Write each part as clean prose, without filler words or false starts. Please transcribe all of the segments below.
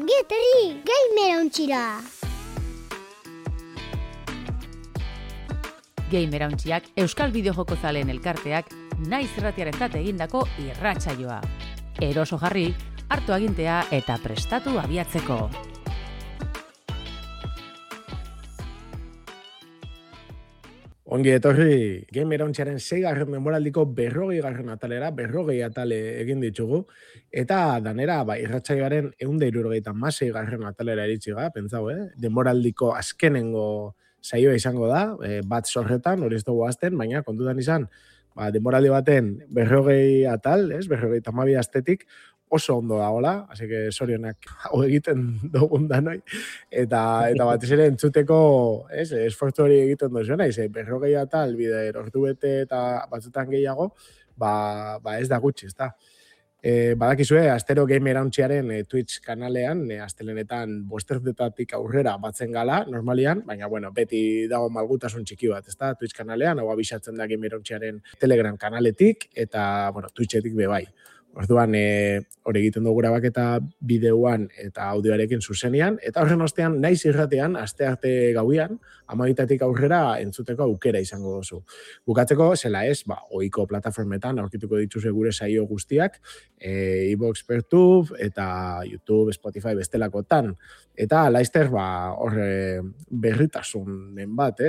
Ongi etorri Gamer Ontxira. Gamer Ontxiak Euskal Bideojoko zaleen elkarteak naiz irratiarentzat egindako irratsaioa. Eroso jarri, hartu agintea eta prestatu abiatzeko. Ongi etorri, Gamer Ontxiaren 6. denboraldiko 40. atalera, 40 atale egin ditugu, eta danera, irratsaioaren 176. atalera iritsi gara, pentsau, denboraldiko azkenengo saioa izango da, bat sorretan, hori ez dugu azten, baina kontutan izan, denboraldi baten 40 atal, 52 astetik, oso ondo dagoela, así que sorionak hau egiten dugun danoi, eta batez ere entzuteko, esfortzu hori egiten duzu naiz, 40 atal, bider, ordu bete eta batzutan gehiago, ez da gutxi, ez da. Badakizue, astero Gamer Ontxiaren Twitch kanalean, astelenetan bosterdetatik aurrera batzen gala, normalian, baina, beti dago malgutasun txiki bat, ez da, Twitch kanalean, hau abisatzen da Gamer Ontxiaren Telegram kanaletik, eta, Twitchetik bebai. Orduan, hori egiten dugu grabaketa bideoan eta audioarekin zuzenean, eta horren ostean, naiz irratean, astearte gauian, 12 aurrera entzuteko aukera izango duzu. Bukatzeko, zela ez, ohiko plataformetan aurkituko dituzue gure saio guztiak, iVoox, Pertube, eta YouTube, Spotify bestelakotan. Eta laizter, horre berritasunen bat,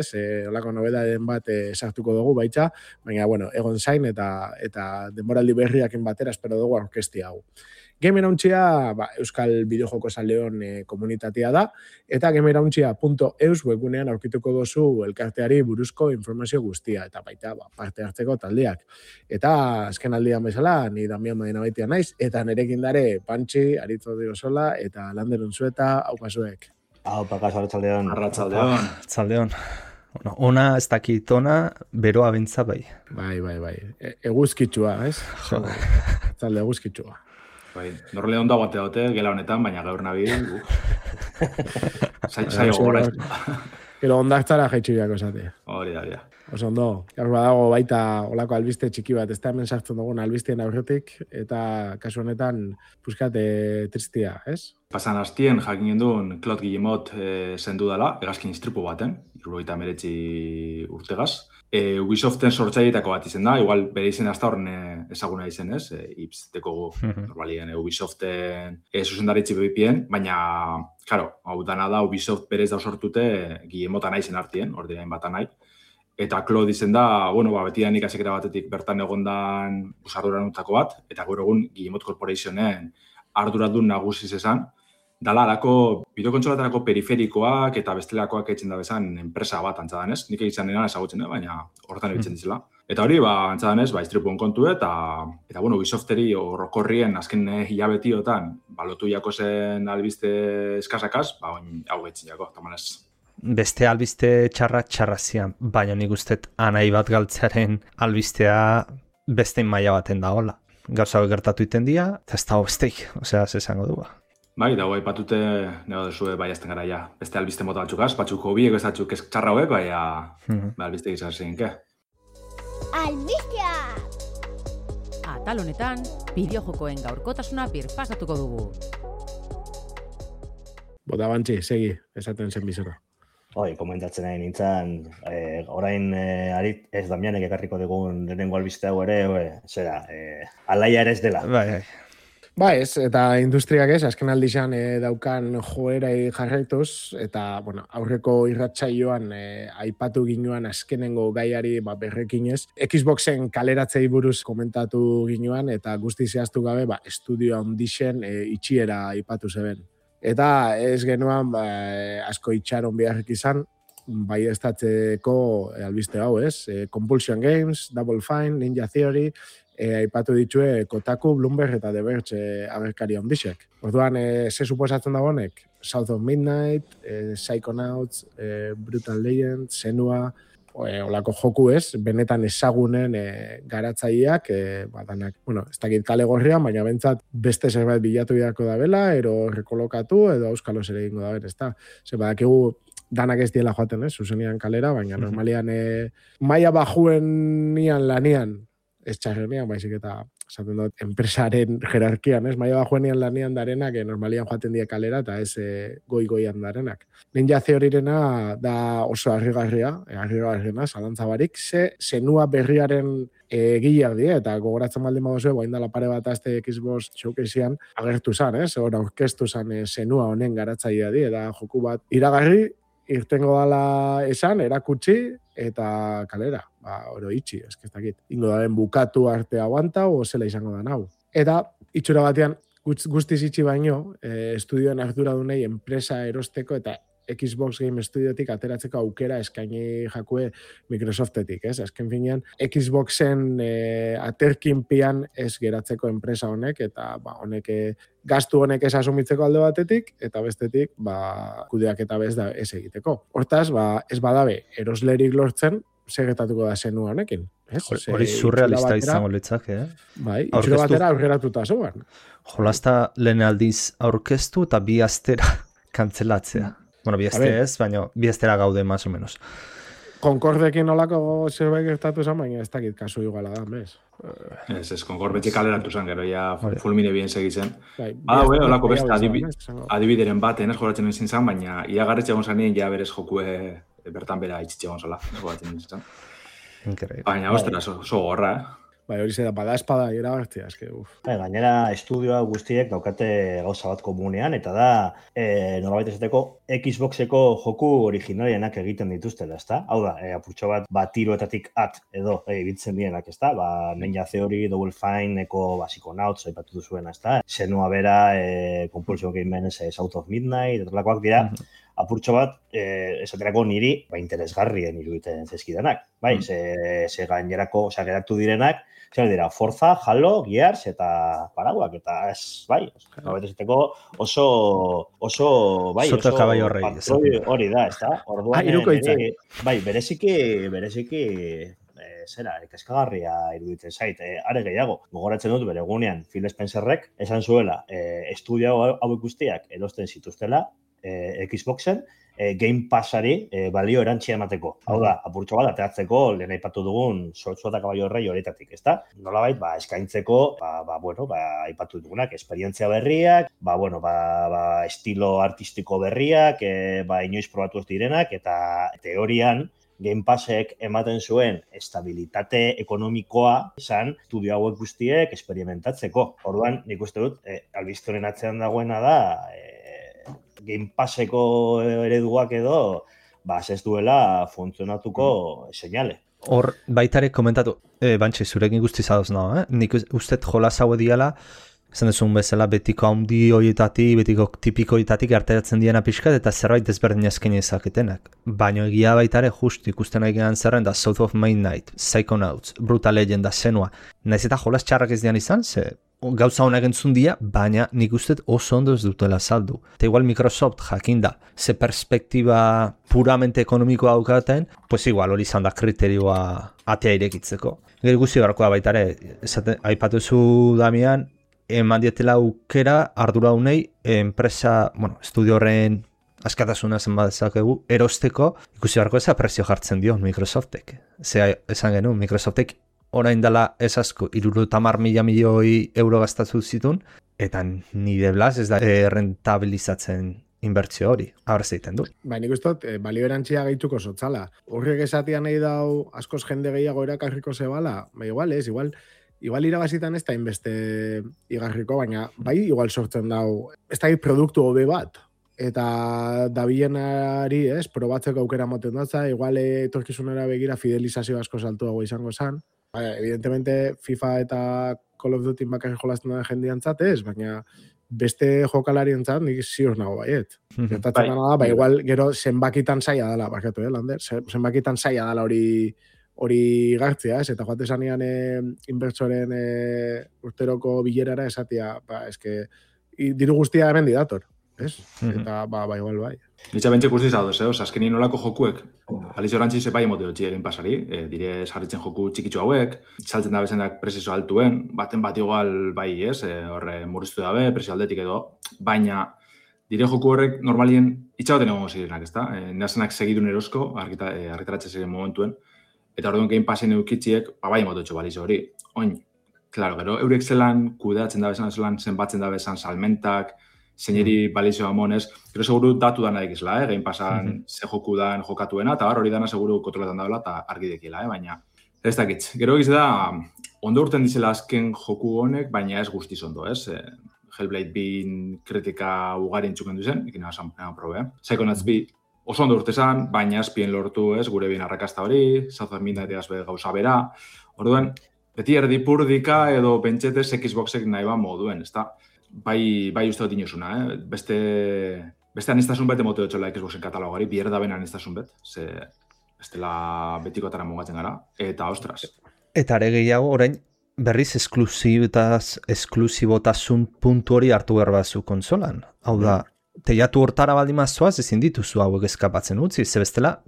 holako nobedaden bat sartuko dugu baitza, baina, egon zain eta denboraldi berriakin batera espero dugu aurkesti hau. Gamer Ontxia, Euskal Bideojoko zaleon komunitatea da, eta gamerontxia.eus webgunean aurkituko dozu elkarteari buruzko informazio guztia, eta baita parte hartzeko taldeak. Eta azken aldian bezala, ni Damian Madinabaitia naiz, eta nerekin dare Pantxi, Aritzo Diosola, eta Lander Unzueta, haupasuek. Haupakas, arratsaldeon. Arratsaldeon. Ona ez dakit ona, beroa bintza bai. Bai. Eguzkitsua, ez? Zalde eguzkitsua. Norrele ondo aguante dute, gela honetan, baina gaur nabil. Saio gora ez. Gero ondartzara jaitxuriako esate. Hori da. Oso ondo, gaur badago baita olako albiste txiki bat, ez da hemen sartzen dugun albistien aurretik, eta kasu honetan, puskat, tristia, ez? Pasan hastien jakin genduen Claude Guillemot zendu dela, egazkin istripu baten, 79 urtegaz. Ubisoften sortzaileetako bat izen da, igual bere izen hasta horren ezaguna izen ez, Ips dekogu normalien Ubisoften zuzendaritzi bebipien, baina, claro, hau dana da Ubisoft berez da sortute Guillemota naizen artien, ordinain bat nahi. Eta Claude izen da, betidan ikasekera batetik bertan egondan arduranutako bat, eta gaur egun Guillemot Corporationen arduradun nagusiz esan, dala alako bideokontsolatarako periferikoak eta bestelakoak etxen da bezan enpresa bat antzadanez. Nik egiten denan ezagutzen, baina horretan ebitzen dizela. Eta hori, antzadanez, istripuen kontu eta Ubisofteri horrokorrien azken hilabetiotan lotu jako zen albiste eskasakaz, hau getxin jako, tamanez. Beste albiste txarra zian, baina nik ustet anai bat galtzearen albistea bestein maila baten da hola. Gauza gertatu iten dia, eta ez dago besteik, zesango du. Bai, dago aipatute nego duzue azten gara ja. Beste albiste mota batzukaz, batzuk hobiek ez datzuk txarra hauek, albiste gizar zeginke. Albistea! Atal honetan, bideojokoen gaurkotasuna birpasatuko dugu. Bota Bantxi, segi, esaten zen bizora. Komentatzen nahi nintzen, orain arit ez Damianek ekarriko dugun lehenengo albiste hau ere, alaia ere ez dela. Ez, eta industriak ez, azken aldizan daukan joerai jarraituz, eta aurreko irratsaioan aipatu ginoan azkenengo gaiari berrekin ez. Xboxen kaleratzei buruz komentatu ginoan, eta guzti zehaztu gabe estudio handixen itxiera aipatu zeben. Eta ez genuan asko itxaron beharrik izan, bai estatzeko albiste hau ez. Compulsion Games, Double Fine, Ninja Theory, aipatu ditue Kotaku, Bloomberg eta The Verge agerkari handixek. Orduan, ze suposatzen da honek? South of Midnight, Psychonauts, Brutal Legend, Senua, olako joku ez, benetan ezagunen garatzaileak, danak, ez dakit kale gorrian, baina bentsat beste zerbait bilatu beharko da bela, ero rekolokatu, edo auskalos ere egingo da ben, ez da. Badakigu danak ez diela joaten, zuzenian kalera, baina normalian maila bajuen nian lanian, ez txarrenean, baizik eta esaten dut, enpresaren jerarkian, ez? Maila bajuenean lanian darenak, normalian joaten die kalera, eta ez goi-goian darenak. Ninja Theory-rena da oso harrigarriena, zalantza barik, zenua berriaren egileak die, eta gogoratzen baldin baduzu, guain dela pare bat azte Xbox showcasean agertu zan, hor aurkeztu zan zenua honen garatzailea die, eta joku bat iragarri, irtengo dala esan, erakutsi, eta kalera, oro itxi, ez dakit. Ingo daren bukatu arte aguanta, o zela izango da nau. Eta, itxura batean, guztiz itxi baino, estudioen arduradunei enpresa erosteko, eta Xbox Game Studiotik ateratzeko aukera eskaini jakue Microsoftetik, ez? Azken finean, Xboxen aterkinpian ez geratzeko enpresa honek, eta honek gastu honek ez asumitzeko alde batetik, eta bestetik, kudeak eta bez da ez egiteko. Hortaz, ez badabe, eroslerik lortzen, segetatuko da zenu honekin. Hori surrealista izango litzake, Bai, itxura batera aurreratuta zoan. Jolazta lehen aldiz aurkeztu eta bi astera kantzelatzea. Bueno, bi aste ez, baina bi astera gaude, más o menos. Concordekin olako zerbait gertatu zen, baina ez dakit kasu iguala da, mes. Ez, Concord beti kaleratu zen, gero ja fulmine bien segitzen. Olako beste adibideren baten ez joratzen ezin zen, baina iagarretxe egon zanien ja berez jokue bertan bera itxitxe egon zela, ez joratzen ezin zen. Baina, ostera, oso gorra, hori zeda, bada espada iragartzea, eske, gainera, estudioa guztiek daukate gauza bat komunean, eta da, nolabait esateko, Xboxeko joku originalienak egiten dituztela, ezta? Hau da, apurtxo bat tiroetatik edo ibiltzen dienak, ezta? Ninja Theory, Double Fine, Psychonauts, aipatu duzuena, ezta? Zenua bera, Compulsion Game Men, South of Midnight, etorlakoak dira, apurtxo bat, esaterako niri, interesgarrien iruditen zezkidanak. Bai, ze gainerako, geratu direnak, zer dira, Forza, Halo, Gears eta Paraguak, eta ez, bai, oso, bai, Soto caballo rey. Hori da, ez da? Bai, bereziki, zera, ekaskagarria iruditzen zait, are gehiago, gogoratzen dut bere egunean Phil Spencerrek, esan zuela, estudio hauek guztiak erosten zituztela, Xboxen, Game Passari balio erantxia emateko. Hau da, apurtxo bat, ateratzeko lehen aipatu dugun Soto caballo rey horietatik, ezta? Nolabait, eskaintzeko, aipatu dugunak, esperientzia berriak, estilo artistiko berriak, inoiz probatu ez direnak, eta teorian, Game Passek ematen zuen estabilitate ekonomikoa izan estudio hauek guztiek esperimentatzeko. Orduan, nik uste dut, albiztoren atzean dagoena da, Game Passeko ereduak edo, ez duela funtzionatuko seinale. Hor, baitare komentatu, Bantxe, zurekin guztiz adoz nago, nik uste jolas hau diala, esan duzun bezala, betiko haundi horietatik, betiko tipiko horietatik arteratzen diena pixkat, eta zerbait ezberdin ezken ezaketenak. Baina egia baitare, just ikusten egean zerren da South of Midnight, Psychonauts, Brutal Legend, Zenua. Naiz eta jolas txarrak ez dian izan, ze gauza honak entzun dia, baina nik uste oso ondo ez dutela saldu. Eta igual Microsoft jakinda, ze perspektiba puramente ekonomikoa daukaten, pues igual hori izan da kriterioa atea irekitzeko. Gero guzti barkoa baitare, aipatuzu Damian, eman dietela aukera ardura unei enpresa, estudio horren askatasuna zenbat dezakegu, erosteko, ikusi barko eza prezio jartzen dio Microsoftek. Ze esan genuen, Microsoftek orain dela ez asko, 70 milioi euro gastatu zituen, eta nire blas ez da rentabilizatzen inbertsio hori, ahora zeiten du. Nik uste dut, balio erantzia gehituko sotzala. Horrek esatean nahi dau askoz jende gehiago erakarriko zebala, igual ez, igual irabazitan ez da inbeste igarriko, baina bai igual sortzen dau, ez da produktu hobe bat. Eta dabilenari, probatzeko aukera moten datza, igual etorkizunera begira fidelizazio asko saltuago izango zan. Evidentemente, FIFA eta Call of Duty bakarrik jolazten da jendiantzat ez, baina beste jokalarientzat nik ziur nago baiet. Gertatzen da, igual gero zenbakitan zaila dela, bakatu, Lander? Zenbakitan zaila dela hori gartzea, eta joate zanean inbertsoren urteroko bilerara esatia, eske, diru guztia hemen didator, ez? Eta, igual bai. Nitza bentxe guztiz dauz, azkenien nolako jokuek, aliz orantzi zepai emote dutxi egin pasari, dire sarritzen joku txikitzu hauek, saltzen da bezenak prezio altuen, baten bat igual bai horre murriztu dabe, prezio aldetik edo, baina dire joku horrek normalien itxagoten egongo zirenak, ezta? Nazenak segidun erosko, argitaratzen ziren momentuen, eta orduan Game Passen eukitziek, bai emote dutxo baliz hori. Oin, Claro, gero, eurek zelan kudeatzen da bezan, zelan zenbatzen da bezan salmentak, zeineri balizio amonez, gero seguru datu dana ekizela, Game Passan ze joku dan jokatuena, eta hori dana seguru kontroletan daula, eta argi dekila, baina ez dakit. Gero egiz da, ondo urten dizela azken joku honek, baina ez guztiz ondo, ez? Hellblade 2 kritika ugari entzuken duzen, ikin esan probe, Psychonauts 2 oso ondo urte zan, baina azpien lortu, ez, gure bien arrakasta hori, South of Midnight gauza bera, orduan, beti erdipurdika edo pentsetez Xboxek nahi ba moduen, ez da? Bai uste dut inozuna, beste anistazun bete mote dutxola Xboxen katalogari, bierda ben anistazun bet, ze bestela betikotara mugatzen gara, eta ostras. Eta are gehiago, orain, berriz esklusibotasun puntu hori hartu behar bazu konsolan. Hau da, teiatu hortara baldin mazoaz, ezin dituzu hauek eskapatzen utzi, ze bestela,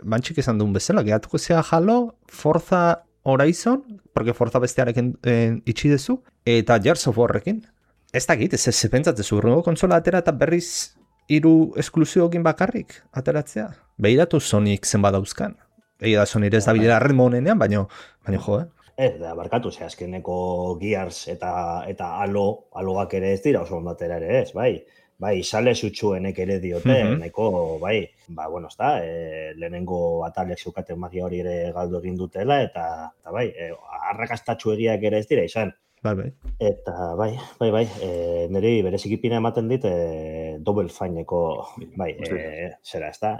bantxik esan duen bezala, gehatuko zea Halo, Forza Horizon, porque Forza bestearekin itxi dezu, eta Gears of Warrekin. Ez dakit, ez pentsatzezu, urrengo konsola atera eta berriz 3 esklusiokin bakarrik ateratzea. Behiratu Sonic zenbat dauzkan. Egia da Sony ez da bilera arren honenean, baina jo, Da, barkatu, azkeneko Gears eta Haloak ere ez dira oso ondatera ere ez, bai. Bai, sale zutxuenek ere diote, neko, bai, bueno, ez da, lehenengo atalek zeukaten magia hori ere galdu egin dutela, eta bai, arrakastatxuegiak ere ez dira izan. Bai. Eta bai, niri berezikipina ematen dit Double Fineko, bai, zera, ez da,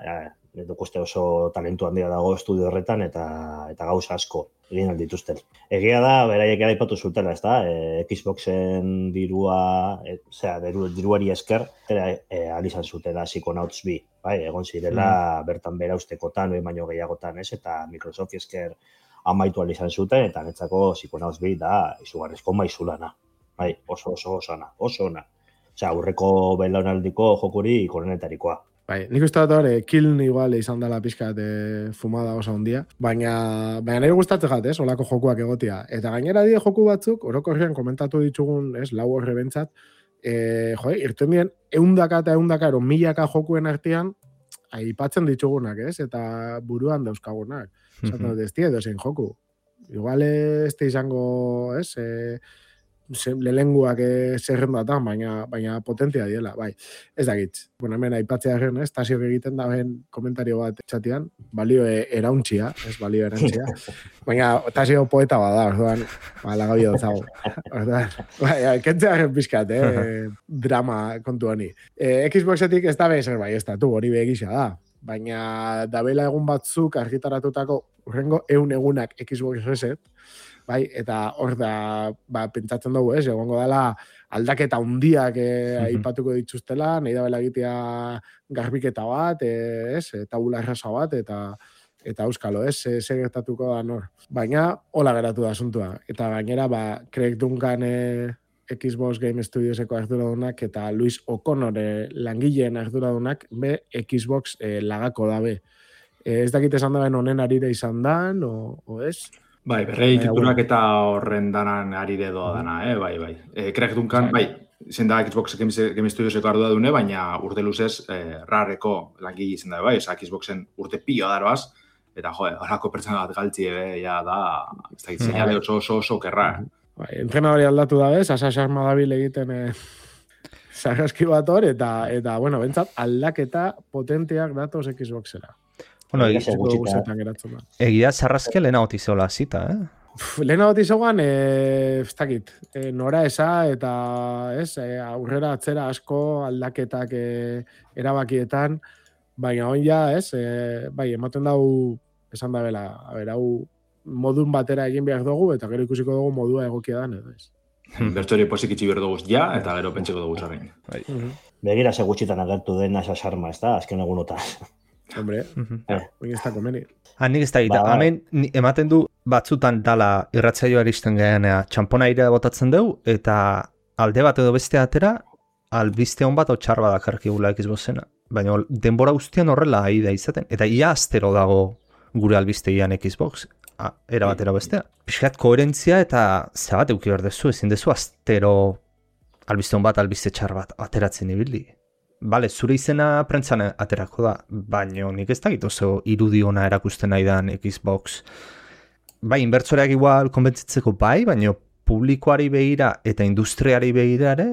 duk uste oso talentu handia dago estudio horretan eta gauza asko egin aldituzten. Egia da, beraiek gara ipatu zutela, ez da, Xboxen diruari esker, alizan zutela Psychonauts 2, bai, egon zirela bertan bera ustekotan, baino gehiagotan, ez, eta Microsoft esker amaitu alizan zuten, eta netzako Psychonauts 2 da izugarrizko maizulana, bai, oso ona. Osea, aurreko belaunaldiko jokuri ikonenetarikoa. Bai, nik uste dut hori, Kiln igual izan dela pixkat fumada oso handia, baina nire gustatzen jat, olako jokuak egotia. Eta gainera die joku batzuk, orokorrean komentatu ditugun, lau horre bentsat, irten dien, 100 ero, 1000 jokuen artean, aipatzen ditugunak, eta buruan dauzkagunak. Zaten dut ez edo zein joku. Igual ez izango, lehenguak zerrendatan, baina potentia diela, bai. Ez dakit. Bueno, hemen aipatzea garen, Tasiok egiten da komentario bat txatian, balio erauntxia, ez balio erauntxia. Baina Tasio poeta bada, orduan, lagabi dutzago. Orduan, bai, kentzea garen pixkat, drama kontu honi. Xboxetik ez da bezer, bai, ez da, hori begisa da. Baina dabela egun batzuk argitaratutako urrengo 100 egunak Xbox Reset, bai, eta hor da, pentsatzen dugu, egongo dela aldaketa hundiak aipatuko dituztela, nahi da bela egitea garbiketa bat, tabula erraza bat, eta euskalo, gertatuko da nor. Baina, hola geratu da asuntua. Eta gainera, Craig Duncan Xbox Game Studioseko arduradunak eta Luis O'Connor langileen arduradunak Xbox lagako dabe. Ez dakit esan daben honen arire izan dan, o ez? Bai, berrei titurak eta horren danan arire doa dana, bai. Craig Duncan, bai, zen da Xbox Game Studioseko arduradune, baina urte luzez rareko langile izan da, bai, Xboxen urte pio daroaz, eta horako pertsona bat galtzi ja da, ez dakit, seinale oso kerra. Bai, entrenadori aldatu da bez, asasarma dabil egiten sarraski bat hor, eta bueno, bentsat, aldaketa potenteak datoz Xboxera. Bueno, egia sarrazke lehena otizola zita, Lehena otizogan, ez dakit, nora esa, eta aurrera atzera asko aldaketak erabakietan, baina hon ja, bai, ematen dau, esan da bela, hau modun batera egin behar dugu, eta gero ikusiko dugu modua egokia dan, edo ez. Bertori posik itxi behar dugu ja, eta gero pentseko dugu zarrein. Begira segutxitan agertu dena esa sarma, ez da, azken egunotan. Hombre, hori ez da komeni. Nik ez da gita, hemen ematen du batzutan dala irratzaioa eristen gehanea txampona airea botatzen dugu, eta alde bat edo beste atera, albiste hon bat otxar badak arkigula Xboxena. Baina denbora guztian horrela aida izaten. Eta ia astero dago gure albisteian Xbox, era batera bestea. Piskat koherentzia eta zabat euki berdezu, ezin dezu astero albiste hon bat, albiste txar bat ateratzen ibildi. Bale, zure izena prentzan aterako da, baina nik ez dakit oso irudi ona erakusten nahi dan Xbox. Bai, inbertsoreak igual konbentzitzeko bai, baina publikoari begira eta industriari begira ere,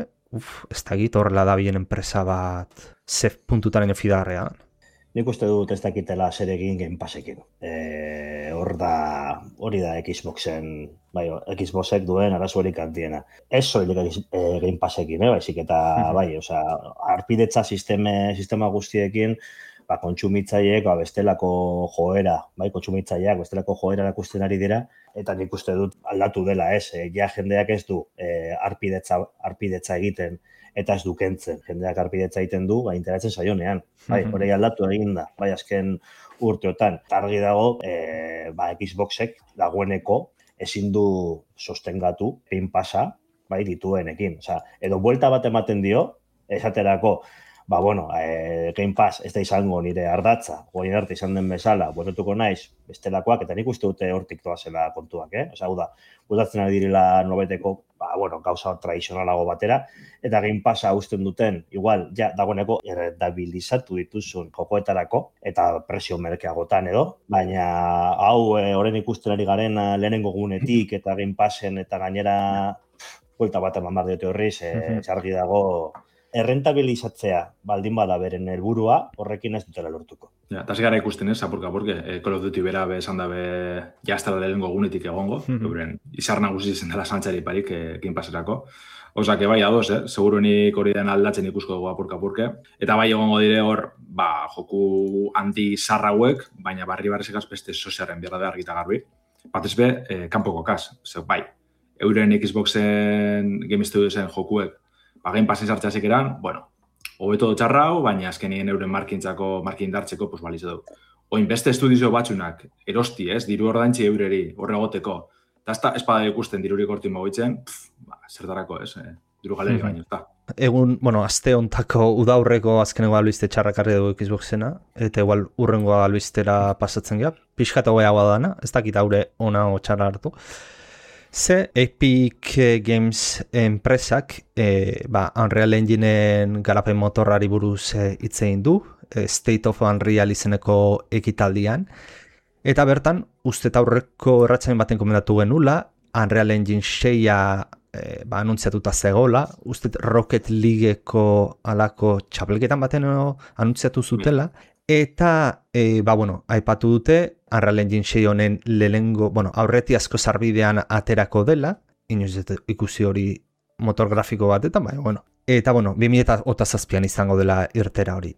ez dakit horrela da bien enpresa bat ze puntutaren efidarrea. Nik uste dut ez dakitela zer egin Game Passekin. Hori da Xboxen, bai, Xboxek duen arazoerik handiena. Ez soilik Game Passekin, baizik eta bai, osea, arpidetza sistema guztiekin, kontsumitzaileek bestelako joera, bai, kontsumitzaileak bestelako joera erakusten ari dira, eta nik uste dut aldatu dela, ja jendeak ez du arpidetza egiten, eta ez du kentzen. Jendeak arpidetza egiten du, interesatzen zaionean. Bai, hori aldatu egin da, bai, azken urteotan. Argi dago, Xboxek dagoeneko ezin du sostengatu Game Passa, bai, dituenekin. Osea, edo buelta bat ematen dio, esaterako, Game Pass ez da izango nire ardatza, goien arte izan den bezala, bueltatuko naiz, bestelakoak, eta nik uste dute hortik doazela kontuak, Osea, hau da, bueltatzen ari direla nobeteko, gauza tradizionalago batera, eta Game Passa usten duten, igual, ja, dagoeneko errentabilizatu dituzun jokoetarako, eta presio merkeagotan edo, baina hau, horren ikusten ari garen lehenengo gunetik, eta Game Passen, eta gainera, buelta bat eman bar diote horriz, argi dago, errentabilizatzea baldin bada beren helburua, horrekin ez dutela lortuko. Ja, eta gara ikusten apurka-apurke, Call of Duty bera esan dabe jaztela lehenengo gunetik egongo, euren izar nagusi izen dela santzari parik Game Passerako. Osa, bai adoz, seguruenik hori den aldatzen ikusko dugu apurka-apurke. Eta bai egongo dire hor, joku handi zarrauek, baina barri-barrizek azpeste soziaren behar da argita garbi. Batez be, kanpoko kas. Bai, euren Xboxen Game Studiosen jokuek Game Passen sartzeazek eran, hobeto txarrau, baina azkenien euren markindartzeko, balize dugu. Oin beste estudizio batzunak, erosti, diru ordaintzi eureri, horregoteko, eta ez pada ikusten dirurik hortin mogitzen, zertarako, diru galeri baino, eta. Egun, aste ontako udaurreko azkeneko albiste txarrakarri dugu Xboxena, eta igual urrengo albistera pasatzen gara, pixkat hogeagoa dana, ez dakit haure ona o txarra hartu. Ze Epic Games enpresak Unreal Engineen garapen motorrari buruz hitz egin du, State of Unreal izeneko ekitaldian, eta bertan, uste aurreko erratzain baten komendatu genula, Unreal Engine 6a anuntziatuta zegoela, uste Rocket Leagueko alako txapelketan baten anuntziatu zutela, eta, aipatu dute, Unreal Engine 6 honen lehengo, aurreti asko sarbidean aterako dela, inoiz ikusi hori motor grafiko batetan, Eta, 2007an izango dela irtera hori.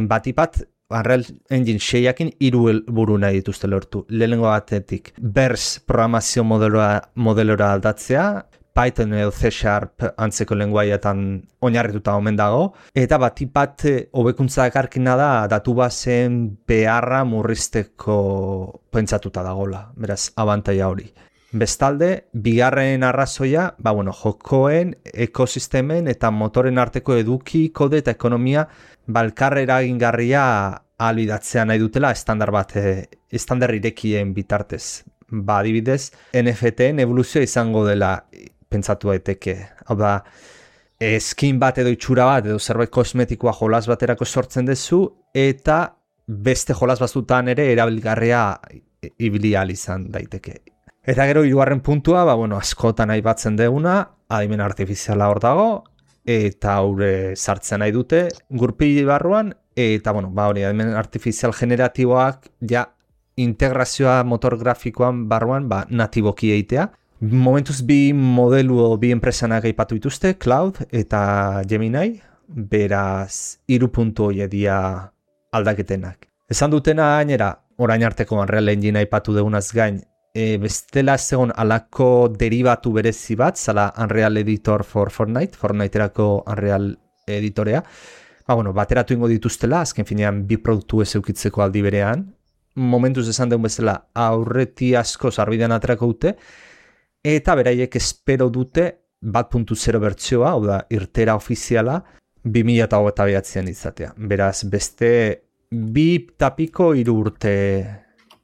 Batipat, Unreal Engine 6akin 3 helburu nahi dituzte lortu. Lehengo batetik, BERS programazio modelora aldatzea, Python edo C# antzeko lenguaiatan oinarrituta omen dago, eta batipat hobekuntza dakarkina da datu bazen beharra murrizteko pentsatuta dagola, beraz, abantaia hori. Bestalde, bigarren arrazoia, jokoen, ekosistemen eta motoren arteko eduki, kode eta ekonomia balkarre eragingarria ahalbidatzea nahi dutela estandar irekien bitartez. Adibidez, NFT-en evoluzioa izango dela pentsatu daiteke. Hau da, skin bat edo itxura bat edo zerbait kosmetikoa jolas baterako sortzen duzu eta beste jolas batzutan ere erabilgarria ibili ahal izan daiteke. Eta gero hirugarren puntua, askotan aipatzen deguna, adimen artifiziala hor dago eta haure sartzen nahi dute gurpili barruan eta hori adimen artifizial generatiboak ja integrazioa motor grafikoan barruan natiboki eitea. Momentuz bi modelu o bi enpresanak aipatu dituzte, Cloud eta Gemini, beraz 3 puntu hori edia aldaketenak. Esan dutena gainera, orain arteko Unreal Engine aipatu degunaz gain, bestela zegoen alako derivatu berezi bat, zala Unreal Editor for Fortnite-erako Unreal Editorea, bateratu ingo dituztela, azken finean bi produktu ez eukitzeko aldi berean, momentuz esan deun bezala aurreti asko sarbidean aterako dute, eta beraiek espero dute 1.0 bertsioa, hau da, irtera ofiziala, 2029an izatea. Beraz, beste 2 tapiko 3 urte,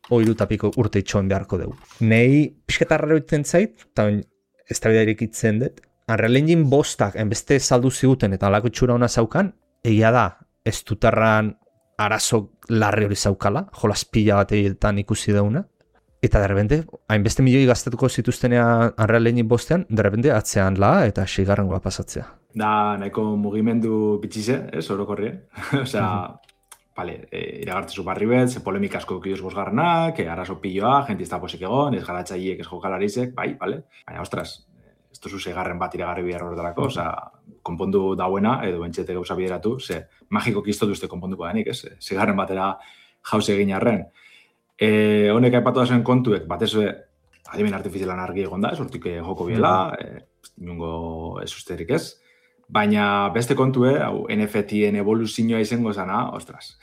o 3 tapiko urte itxoen beharko dugu. Nei pixketarra egiten zait, eta ez da bida irekitzen dut, Unreal Engine 5ak, enbeste saldu ziguten eta alako txura hona zaukan, egia da, ez dutarran arazo larri hori zaukala, jolas pila batetan ikusi dauna, Eta derrepente, hainbeste milioi gaztatuko zituztenean Unreal Engine bostean, derrepente atzean eta 6. pasatzea. Da, nahiko mugimendu bitxize, orokorri. Osea, vale, iragartzezu barri bet, ze polemik asko dukiduz bosgarrenak, arazo piloa, jenti ez da posik egon, ez garatzaiek, ez jokalarizek, bai, vale. Baina, ostras, ez duzu 6. bat iragarri bihar horretarako, osea, konpondu dauena, edo bentxete gauza bideratu, ze magiko kistotu uste konponduko denik, ez? 6. batera jauze egin arren. Honek aipatu da zen kontuek, batez adimen artifizialan argi egon da, hortik joko biela, inungo ez usterik ez, baina beste kontue, hau NFT-en evoluzioa izango zana, ostras.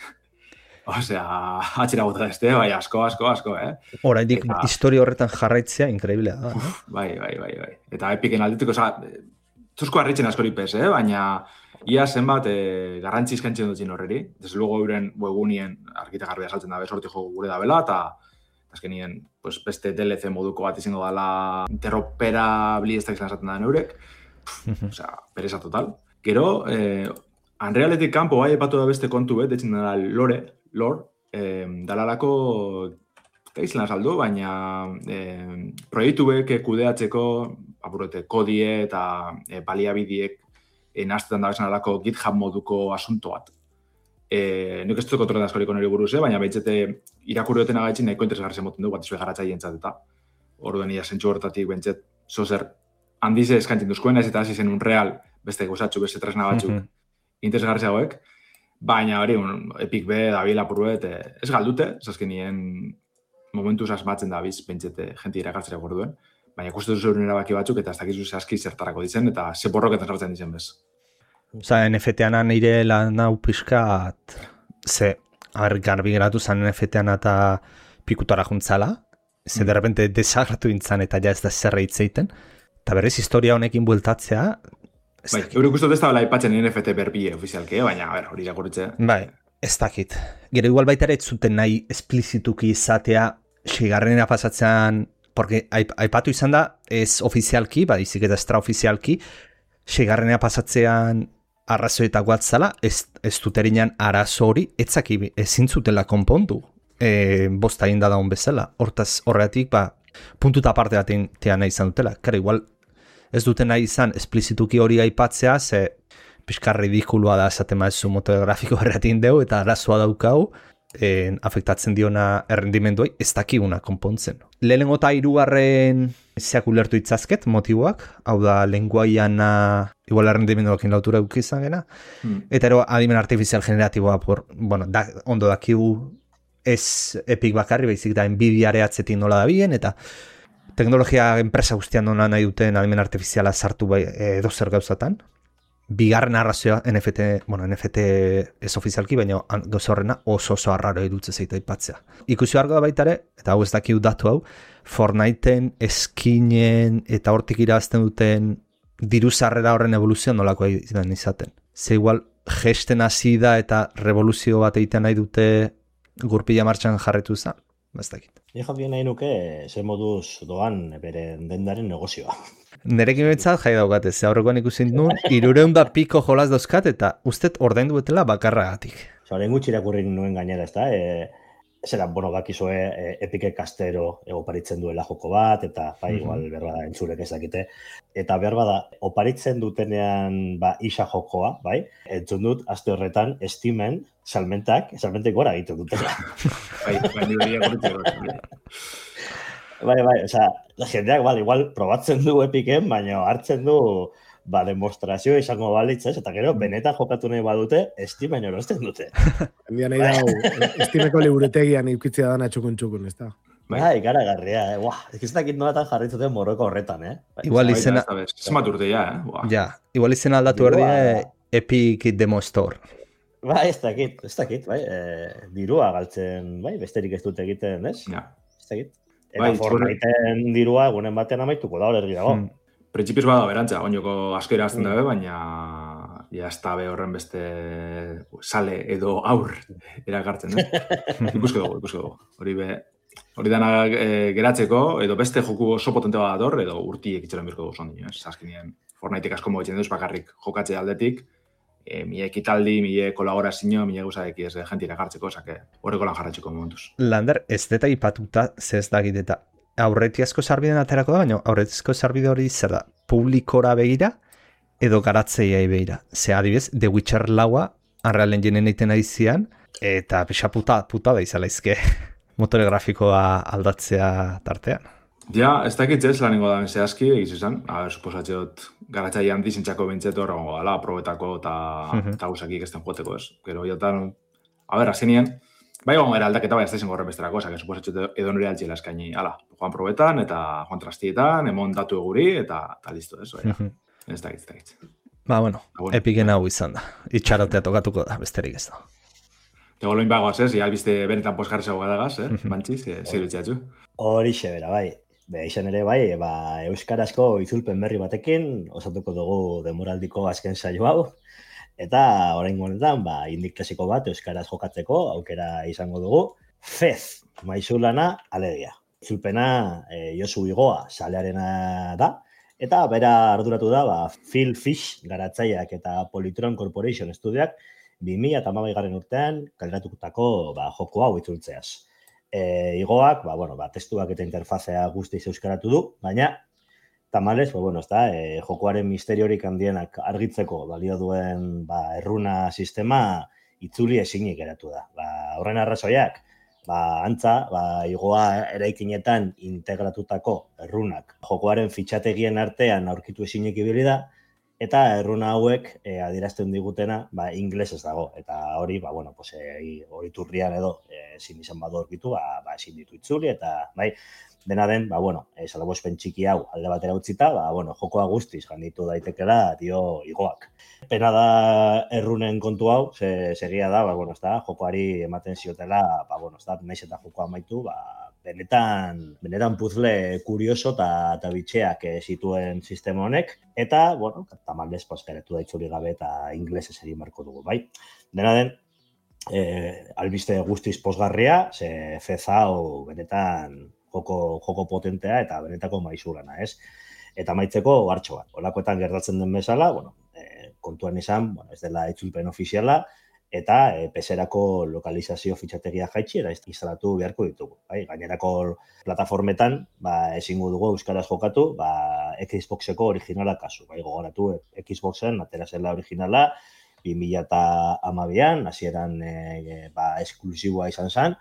Osea, atxera gota ezte, bai, asko, Horaitik historia horretan jarraitzea, inkreiblea da. Bai. Eta epiken aldetik, txusko harritzen askori pez, baina ia zenbat garrantzi izkantzen dutzen horreri. Desde luego euren webgunien argita garbia saltzen da bezorti joko gure da bela, eta azkenien beste DLC moduko bat izango dela interoperabli ez da izan esaten da neurek. Osea, pereza total. Gero, Unrealetik kanpo bai epatu da beste kontu detzen dela lore, dalalako eta izan saldu, baina proiektuek kudeatzeko apurete kodie eta baliabidiek naztetan da bezan alako GitHub moduko asunto bat. Nik ez dut kontroletan askoriko nire buruz, baina behitzete irakurri dutena gaitzin nahiko interesgarri moten dugu, bat izue garatzaile entzat orduen ia zentsu horretatik behintzet zozer handize eskantzin duzkoen, ez eta hasi zen Unreal, beste gozatxu, beste tresna batzuk interesgarri zagoek, baina hori, Epic B, Dabil apurruet, ez galdute, zazkenien momentuz asmatzen da biz, behintzete jenti irakartzera gorduen, baina ikustu duzu erabaki batzuk eta ez dakizu zehazki zertarako dizen eta ze borroketan sartzen dizen bez. Osa, NFT-an nire lan hau pixkat, garbi geratu zen NFT-an eta pikutara juntzala, ze derrepente desagratu intzan eta ja ez da zerra hitzeiten, eta berriz historia honekin bueltatzea. Bai, eurek uste ez da aipatzen NFT berbie ofizialke, baina hori irakurritze. Bai, ez dakit. Gero igual baita ere ez zuten nahi esplizituki izatea 6. pasatzean. Porque aipatu izan da, ez ofizialki, badizik eta extraofizialki, 6. pasatzean arrazoetako atzala, ez duterinan arazo hori, ezin zutela konpondu, bosta egin da daun bezala. Horretik, puntuta parte bat nahi izan dutela. Karo, igual, ez duten nahi izan esplizituki hori aipatzea, ze pixka ridikulua da esaten maezu motografiko erratin deu, eta arazoa daukau, afektatzen diona errendimenduai, ez dakiguna konpontzen. Lehenengo eta 3. zeak ulertu itzazket, motiboak, hau da, lenguaiana, igual errendimenduakin lautura izan gena, eta ero adimen artifizial generatiboa, ondo dakigu ez Epic bakarri, baizik da Nvidiare atzetik nola da bien, eta teknologia enpresa guztian dona nahi duten adimen artifiziala sartu edozer gauzatan. Bigarren arrazioa NFT ez ofizialki, baina gauza horrena oso arraro edutze zeita ipatzea. Ikusi hargo da baitare, eta hau ez dakiu datu hau, Fortniteen eskinen eta hortik irabazten duten diru sarrera horren evoluzioa nolako izaten. Ze igual gesten hasi da eta revoluzio bat egiten nahi dute gurpila martxan jarretu izan, ez dakit. Ni jakin nahi nuke ze moduz doan beren dendaren negozioa. Nerekin betzat jai daugat, ez aurrekoan ikusin nuen, 300 piko jolaz dauzkat eta ustet ordaindu betela bakarragatik. Horren gutxi irakurri nuen gainera, ez da? Zera, bakizue Epicek astero oparitzen duela joko bat, eta igual berbada entzurek ez dakite. Eta berbada, oparitzen dutenean isa jokoa, entzun dut, aste horretan, Steamen salmentek gora egiten dutela. Ni hori agurritzen. Osea, jendeak, igual probatzen du Epicen, baina hartzen du demostrazio izango balitz, eta gero, benetan jokatu nahi badute, Steamen erosten dute. Handia nahi dago, Steameko liburutegian iukitzea dana txukun, ez da? Garagarria, ez dakit nolatan jarritzuten morroko horretan, Igual izena... Zemat urte ja, igual izena aldatu erdia Epic Demo Store. Ez dakit, dirua galtzen, besterik ez dute egiten, ez? Ez dakit. Eta Fortniteen dirua egunen batean amaituko da, hori dago. Printzipioz bada berantza, oinoko asko irazten dabe, baina ja ez da horren beste sale edo aur erakartzen, Ikusko dugu. Hori dana geratzeko, edo beste joku oso potente bat dator, edo urtiek itxeran birko dugu zondi, Azkenien Fortniteek asko mogitzen duz bakarrik jokatze aldetik, mila ekitaldi, mila kolaborazio, mila guzadek ez jentira jartzeko, osake, horreko lan jarratxeko momentuz. Lander, ez deta ipatuta, ez dagit eta aurretiazko sarbideen aterako da, baina aurretiazko sarbide hori zer da, publikora begira edo garatzeiai begira. Ze adibidez, The Witcher laua, Unreal Engine egiten ari zian, eta pixa puta da izala izke motore grafikoa aldatzea tartean. Ja, ez dakit ez lanengo da zehazki, egiz izan. Suposatxe dut, garatxai handizintzako bintzetu horrengo gala, probetako eta guzakik esten joteko ez. Gero, jotan, azkenien, bai gongo era aldaketa bai ez da izango horren besterako, que suposatxe edo nire altxila eskaini, joan probetan, eta joan trastietan, emon datu eguri, eta listo ez, ez dakit. Ba, bueno, epiken hau izan da. Itxarotea tokatuko da, besterik ez da. Tego loin bagoaz ez, albiste benetan posgarrizago gadagaz, mantxiz, zirutxeatxu. Horixe bera, bai. Izan ere, bai, euskarazko itzulpen berri batekin, osatuko dugu demoraldiko azken saio hau, eta oraingo honetan, indik klasiko bat euskaraz jokatzeko, aukera izango dugu, Fez, maizulana, alegia. Itzulpena Josu Igoa, salearena da, eta bera arduratu da, Phil Fish garatzaileak eta Polytron Corporation Studiak 2012 urtean kaleratutako joko hau itzultzeaz. Igoak, testuak eta interfazea guztiz euskaratu du, baina tamalez, jokoaren misteriorik handienak argitzeko balio duen erruna sistema itzuli ezinik geratu da. Horren arrazoiak, antza, Igoa eraikinetan integratutako errunak jokoaren fitxategien artean aurkitu ezinik ibili da, eta erruna hauek adierazten digutena inglesez dago. Eta hori, hori turrian edo ezin izan badu aurkitu, ezin ditu itzuli, eta dena den, salbuespen txiki hau alde batera utzita, jokoa guztiz janditu daitekela dio Igoak. Pena da errunen kontu hau, segia da, jokoari ematen ziotela, naiz eta jokoa amaitu, benetan puzle kurioso eta bitxeak zituen sistema honek, eta, tamalez, geretu da itzuli gabe eta inglesez egin marko dugu, bai. Dena den, albiste guztiz pozgarria, ze Fez hau benetan joko potentea eta benetako maizulana, ez? Eta maitzeko gartxo bat. Olakoetan gertatzen den bezala, kontuan izan, ez dela itzulpen ofiziala, eta PC-erako lokalizazio fitxategia jaitsi eta instalatu beharko ditugu. Gainerako plataformetan ezingo dugu euskaraz jokatu, Xboxeko originala kasu. Gogoratu Xboxen atera zela originala 2012an, hasieran esklusiboa izan zen,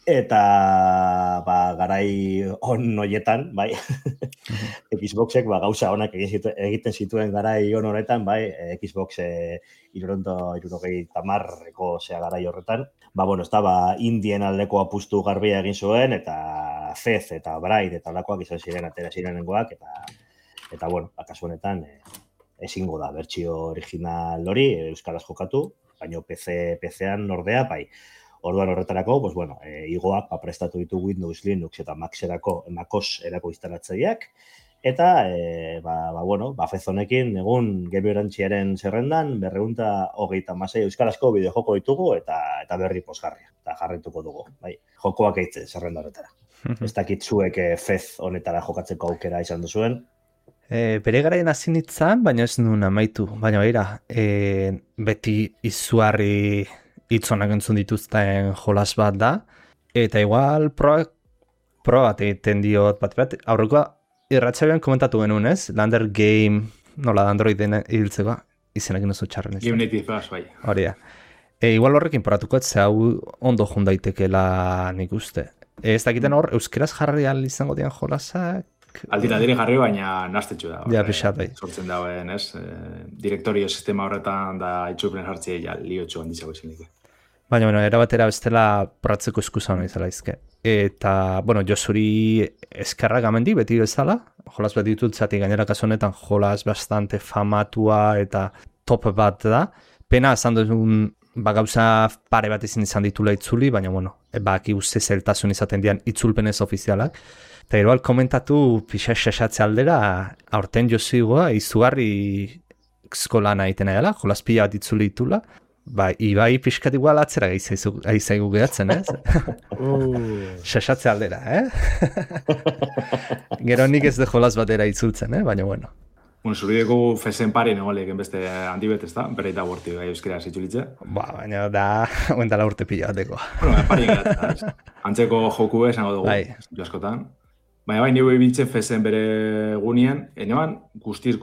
eta garai on hoietan, Xboxek gauza honak egiten zituen garai on honetan, Xbox 360ko garai horretan, indien aldeko apustu garbia egin zuen, eta Fez eta Braid eta lakoak izan ziren atera zirenengoak, eta kasu honetan ezingo da bertsio original hori euskaraz jokatu, baina PC-an ordea, Orduan horretarako, Igoak prestatu ditu Windows, Linux eta MacOS erako instalatzaileak, eta, Fez honekin, egun Gebi Orantxiaren zerrendan, 226 euskarazko bideojoko ditugu eta berri pozgarria, eta jarraituko dugu, jokoak eitzen zerrenda horretara. Ez dakit zuek Fez honetara jokatzeko aukera izan duzuen. Bere garaien hasi nintzen, baina ez nuen amaitu, baina beti izugarri hitzonak entzun dituzten jolas bat da, eta igual proba bat egiten diot bat, aurrekoa irratsaioan komentatu genuen ez, Lander Game, nola Androiden hiltzeko, izenekin oso txarren ez. Game Native Plus, bai. Hori da. Igual horrekin poratuko, ze hau ondo jun daitekela nik uste. Ez dakiten hor, euskeraz jarri izango dian jolasak? Aldira dire jarri, baina nastetxu da. Ja, pixat, bai. Sortzen dauen, ez? Direktorio sistema horretan da itxupren jartzea ja liotxo handitzago izan dike. Baina, erabatera bestela pratzeko eskusa hona izala izke. Eta, Josuri eskerrak amendi, beti bezala. Jolas bat ditutzati gainera kasu honetan jolas bastante famatua eta top bat da. Pena, esan duzun, gauza pare bat izan ditula itzuli, baina, baki uste zeltasun izaten dian itzulpenez ofizialak. Eta igual komentatu pixa xaxatze aldera, aurten Josigoa izugarri eskolana egiten edela, jolas pila bat itzuli ditula. Ibai pixkat igual atzera aizaigu gehatzen, ez? Xaxatze aldera, Gero nik ez de jolas batera itzultzen, baina, Bueno, zurideko fesen pari negolek beste handi bet, ez da? Bereita borti gai euskera zitulitze. Baina da, oentala urte pila bateko. Bueno, pari gara, antzeko joku esango dugu, askotan. Baina bai, nire biltzen fesen bere gunien, eneban guztiz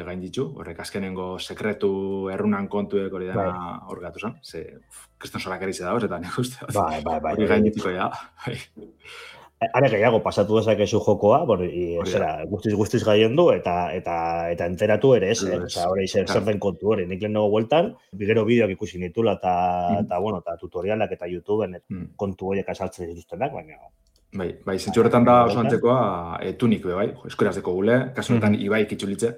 gain ditu, horrek azkenengo sekretu errunan kontuek hori dena hor gatu zen, ze kriston zorak erize dauz, eta nik uste, hori gain dituko ja. Are gehiago pasatu dezakezu jokoa, guztiz gaien du, eta enteratu ere ez, hori zer den kontu hori, nik lehenago bueltan, gero bideoak ikusi nitula, eta tutorialak eta YouTubeen kontu horiek azaltzen dituztenak, baina... Bai, zentsu horretan da oso antzekoa tunik be, bai, eskueraz deko gule, kasu horretan ibai kitxulitze,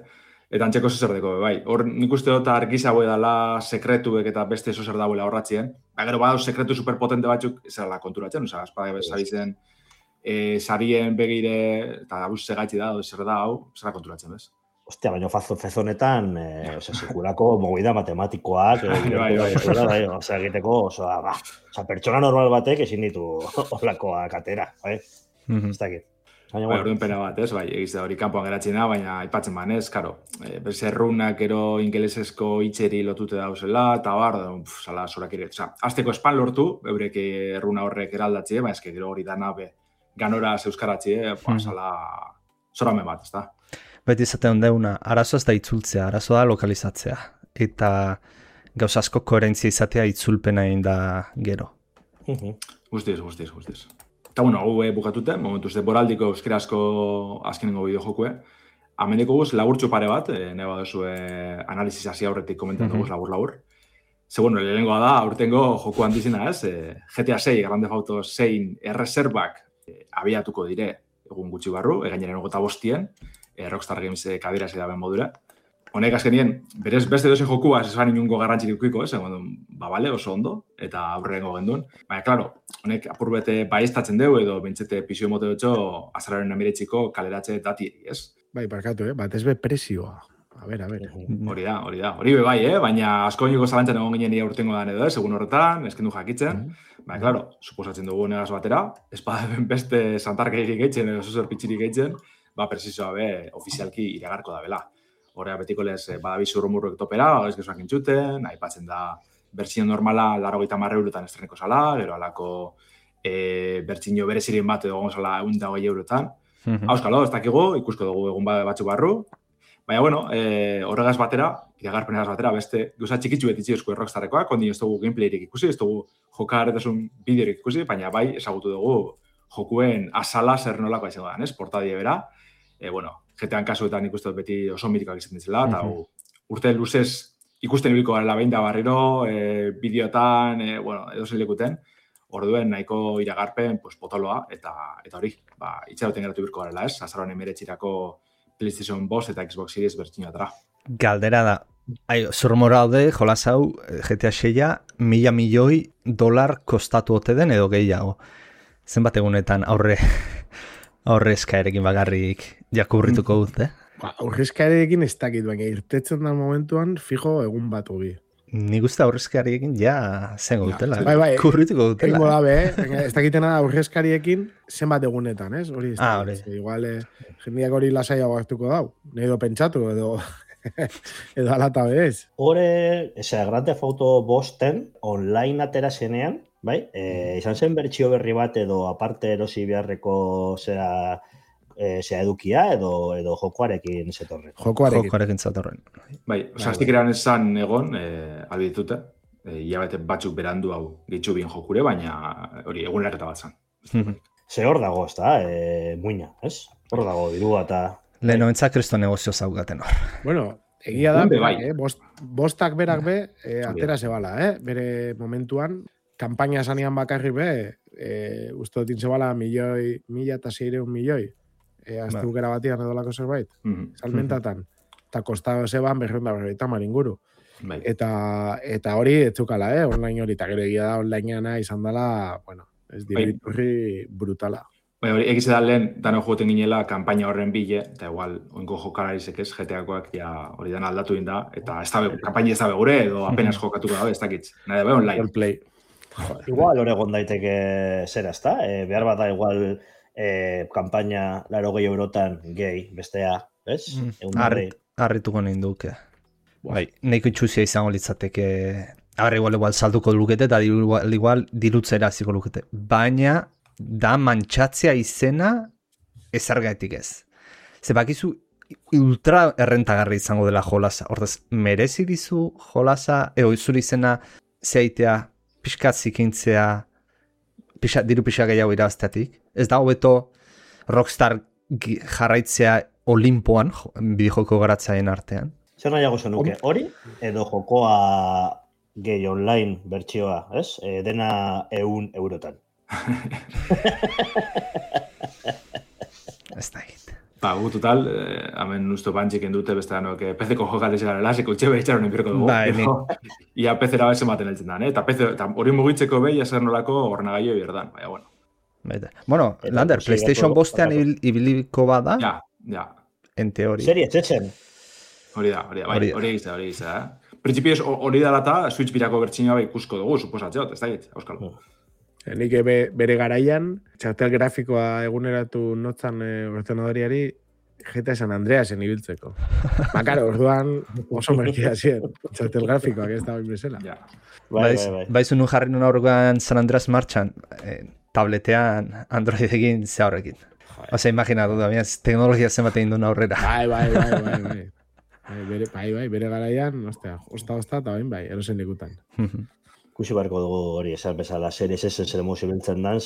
eta antzeko zozer deko be, bai. Hor nik uste dut argiza hau edala sekretuek eta beste zozer dauela horratzien, gero badau sekretu superpotente batzuk, ez dela konturatzen, oza, espada zabizen sarien begire, eta abuz segatzi da, zer da hau, zera konturatzen, bez? Ostia, baina fezonetan, sekulako movida matematikoak, egiteko, pertsona normal batek ezin ditu olakoak atera, bai? Ez dakit. Orduen pena bat, ez, bai, egiz da hori kanpoan geratzen da, baina aipatzen banez, karo, berze errunak ero ingelesezko itxeri lotute dauzela, eta bar, zala, zorak ere, azteko espan lortu, eurek erruna horrek eraldatzi, baina ezke gero hori dana, ganora euskaratzi, zala, zoramen bat, ez da? Beti izaten deuna, arazoa ez da itzultzea, arazoa da lokalizatzea. Eta gauza asko koherentzia izatea itzulpena egin da gero. Guztiz. Eta bueno, hau bukatute, momentuz denboraldiko euskerazko azkenengo bideojokue. Ameneko guz, laburtxo pare bat, nahi baduzu analizis hasi aurretik komentatu guz labur. Ze, bueno, lehenengoa da, aurtengo joku handizena ez, GTA 6, Grand Theft Auto 6 erreserbak abiatuko dire egun gutxi barru, gainera 25 Rockstar Games kabiraz edaben modura. Honek azkenien, berez beste dozen jokua ez esan inungo garrantzik ikuiko, bale, oso ondo, eta aurrengo gendun. Baina, klaro, honek apurbete baiestatzen deu, edo bentsete pizio emote dutxo azararen amiretziko kaleratze dati, ez? Bai, parkatu, bat ez be presioa. A ber. Hori da. Hori be bai, baina asko niko zalantzen egon ginen ia urtengo dan edo, segun horretan, eskendu jakitzen. Baina, klaro, suposatzen dugu negaz batera, espadeben beste santarkeirik eitzen, edo zuzor pitxirik eitzen, presizoa be, ofizialki iragarko da bela. Horrea betiko lez, badabizu rumurruek topera, ez gezuak intxuten, aipatzen da bertsio normala 80 eurotan estreneko zala, gero alako bertsio berezirin bat edo gonzala 120 eurotan. Auskalo, ez dakigu, ikusko dugu egun batzuk barru. Baina, bueno, horregaz batera, iragarpenegaz batera, beste gauza txikitzu betitzi esku Rockstarrekoak, kondi ez dugu gameplayrik ikusi, ez dugu jokaretasun bideorik ikusi, baina bai, ezagutu dugu jokuen azala zer nolako izango da, ez? Portadie bera. GTA-an kasuetan ikusten beti oso mitikoak izan ditzela, eta urte luzez ikusten ibiliko garela behin da barriro, bideotan, edozen lekuten, orduen nahiko iragarpen potoloa, eta hori, itxaroten geratu birko garela, ez? Azaroan emeretzirako PlayStation 5 eta Xbox Series bertxinatara. Galdera da, zurmora haude, jolas hau, GTA 6a, $1.000 milioi kostatu ote den edo gehiago. Zenbat egunetan aurrezkaerekin bakarrik jakurrituko dut, Aurrezkaerekin ez dakit, baina irtetzen da momentuan fijo egun bat hobi. Nik uste aurrezkariekin zengo dutela. Bai, kurrituko dutela. Tengo dabe, ez dakitena da aurrezkariekin zenbat egunetan, ez? Hori ez dakit. Igual, jendeak hori lasaiago hartuko dau. Nahi do pentsatu, edo alata bez. Hore, Grand Theft Auto 5 online atera zenean, bai? Izan zen bertsio berri bat edo aparte erosi beharreko zera edukia edo jokoarekin zetorren. Jokoarekin zetorren. Bai, osastik eran esan egon, albiditute, hilabete batzuk berandu hau gitzu bien jokure, baina hori egun erreta bat zan. Ze hor dago, ez da, muina, ez? Hor dago, dirua eta... Leheno entzak kristo negozio zaugaten hor. Bueno, egia da, bostak berak be, atera zebala, bere momentuan, kampaina zanean bakarri be, uste dut intzebala 1.600.000 milioi. Aztukera batian edolako zerbait, salmentatan. Eta kostado zeban 250 inguru. Eta hori ez zukala, online hori, eta gero egia da onlineana izan dela, bueno, ez diruiturri brutala. Hori, egize da lehen, dano joten ginela, kampaina horren bile, eta igual, oinko jokalarizek ez, GTA-koak hori dan aldatu inda, eta kampaina ez da begure, edo apenas jokatuko da, ez dakitz. Nahi da, online. Roleplay. Igual, hori egon daiteke zera, ez da? Behar bat da, igual, kampaina 80 eurotan gehi, bestea, ez? harrituko ninduke. Bai, nahiko itxuzia izango litzateke. Igual salduko lukete eta igual dirutzera hasiko lukete. Baina da mantxatzea izena ezargaitik ez. Ze bakizu ultra errentagarri izango dela jolasa. Hortaz, merezi dizu jolasa, zuri izena zeitea, pixkat zikintzea, diru pixka gehiago irabazteatik. Ez da hobeto Rockstar jarraitzea Olimpoan, bidejoko garatzaien artean. Zer nahiago zenuke, hori edo jokoa gehi online bertsioa, ez? Dena 100 eurotan. Ez da egit. Gu total, hemen usto bantxik endute beste danok PC-ko jokatez garela, seko itxe behitxaron enpirko dugu. Ia PC-era bese maten eltzen dan, eta hori mugitzeko behi ezer nolako ordenagailu berdan, baina, bueno. Bueno, Lander, PlayStation bostean ibiliko bada? Ja. En teoria. Serie etxetzen. Hori egiza. Principioz hori dalata, Switch birako bertxina ikusko dugu, suposatzeot, ez da egit, Euskal. Nik bere garaian, txartel grafikoa eguneratu notzan ordenadoriari, GTA San Andreasen ibiltzeko. Karo, orduan oso merkia ziren, txartel grafikoak ez da bezala. Baizu nun jarri nun aurrean San Andreas martxan, tabletean Android egin ze horrekin. Osea, imaginatu da, teknologia zenbat egin duen aurrera. Bai, bere garaian, osta, eta bain, erosen likutan. Kusi barko dugu hori esan bezala Series S zer emozio biltzen dan,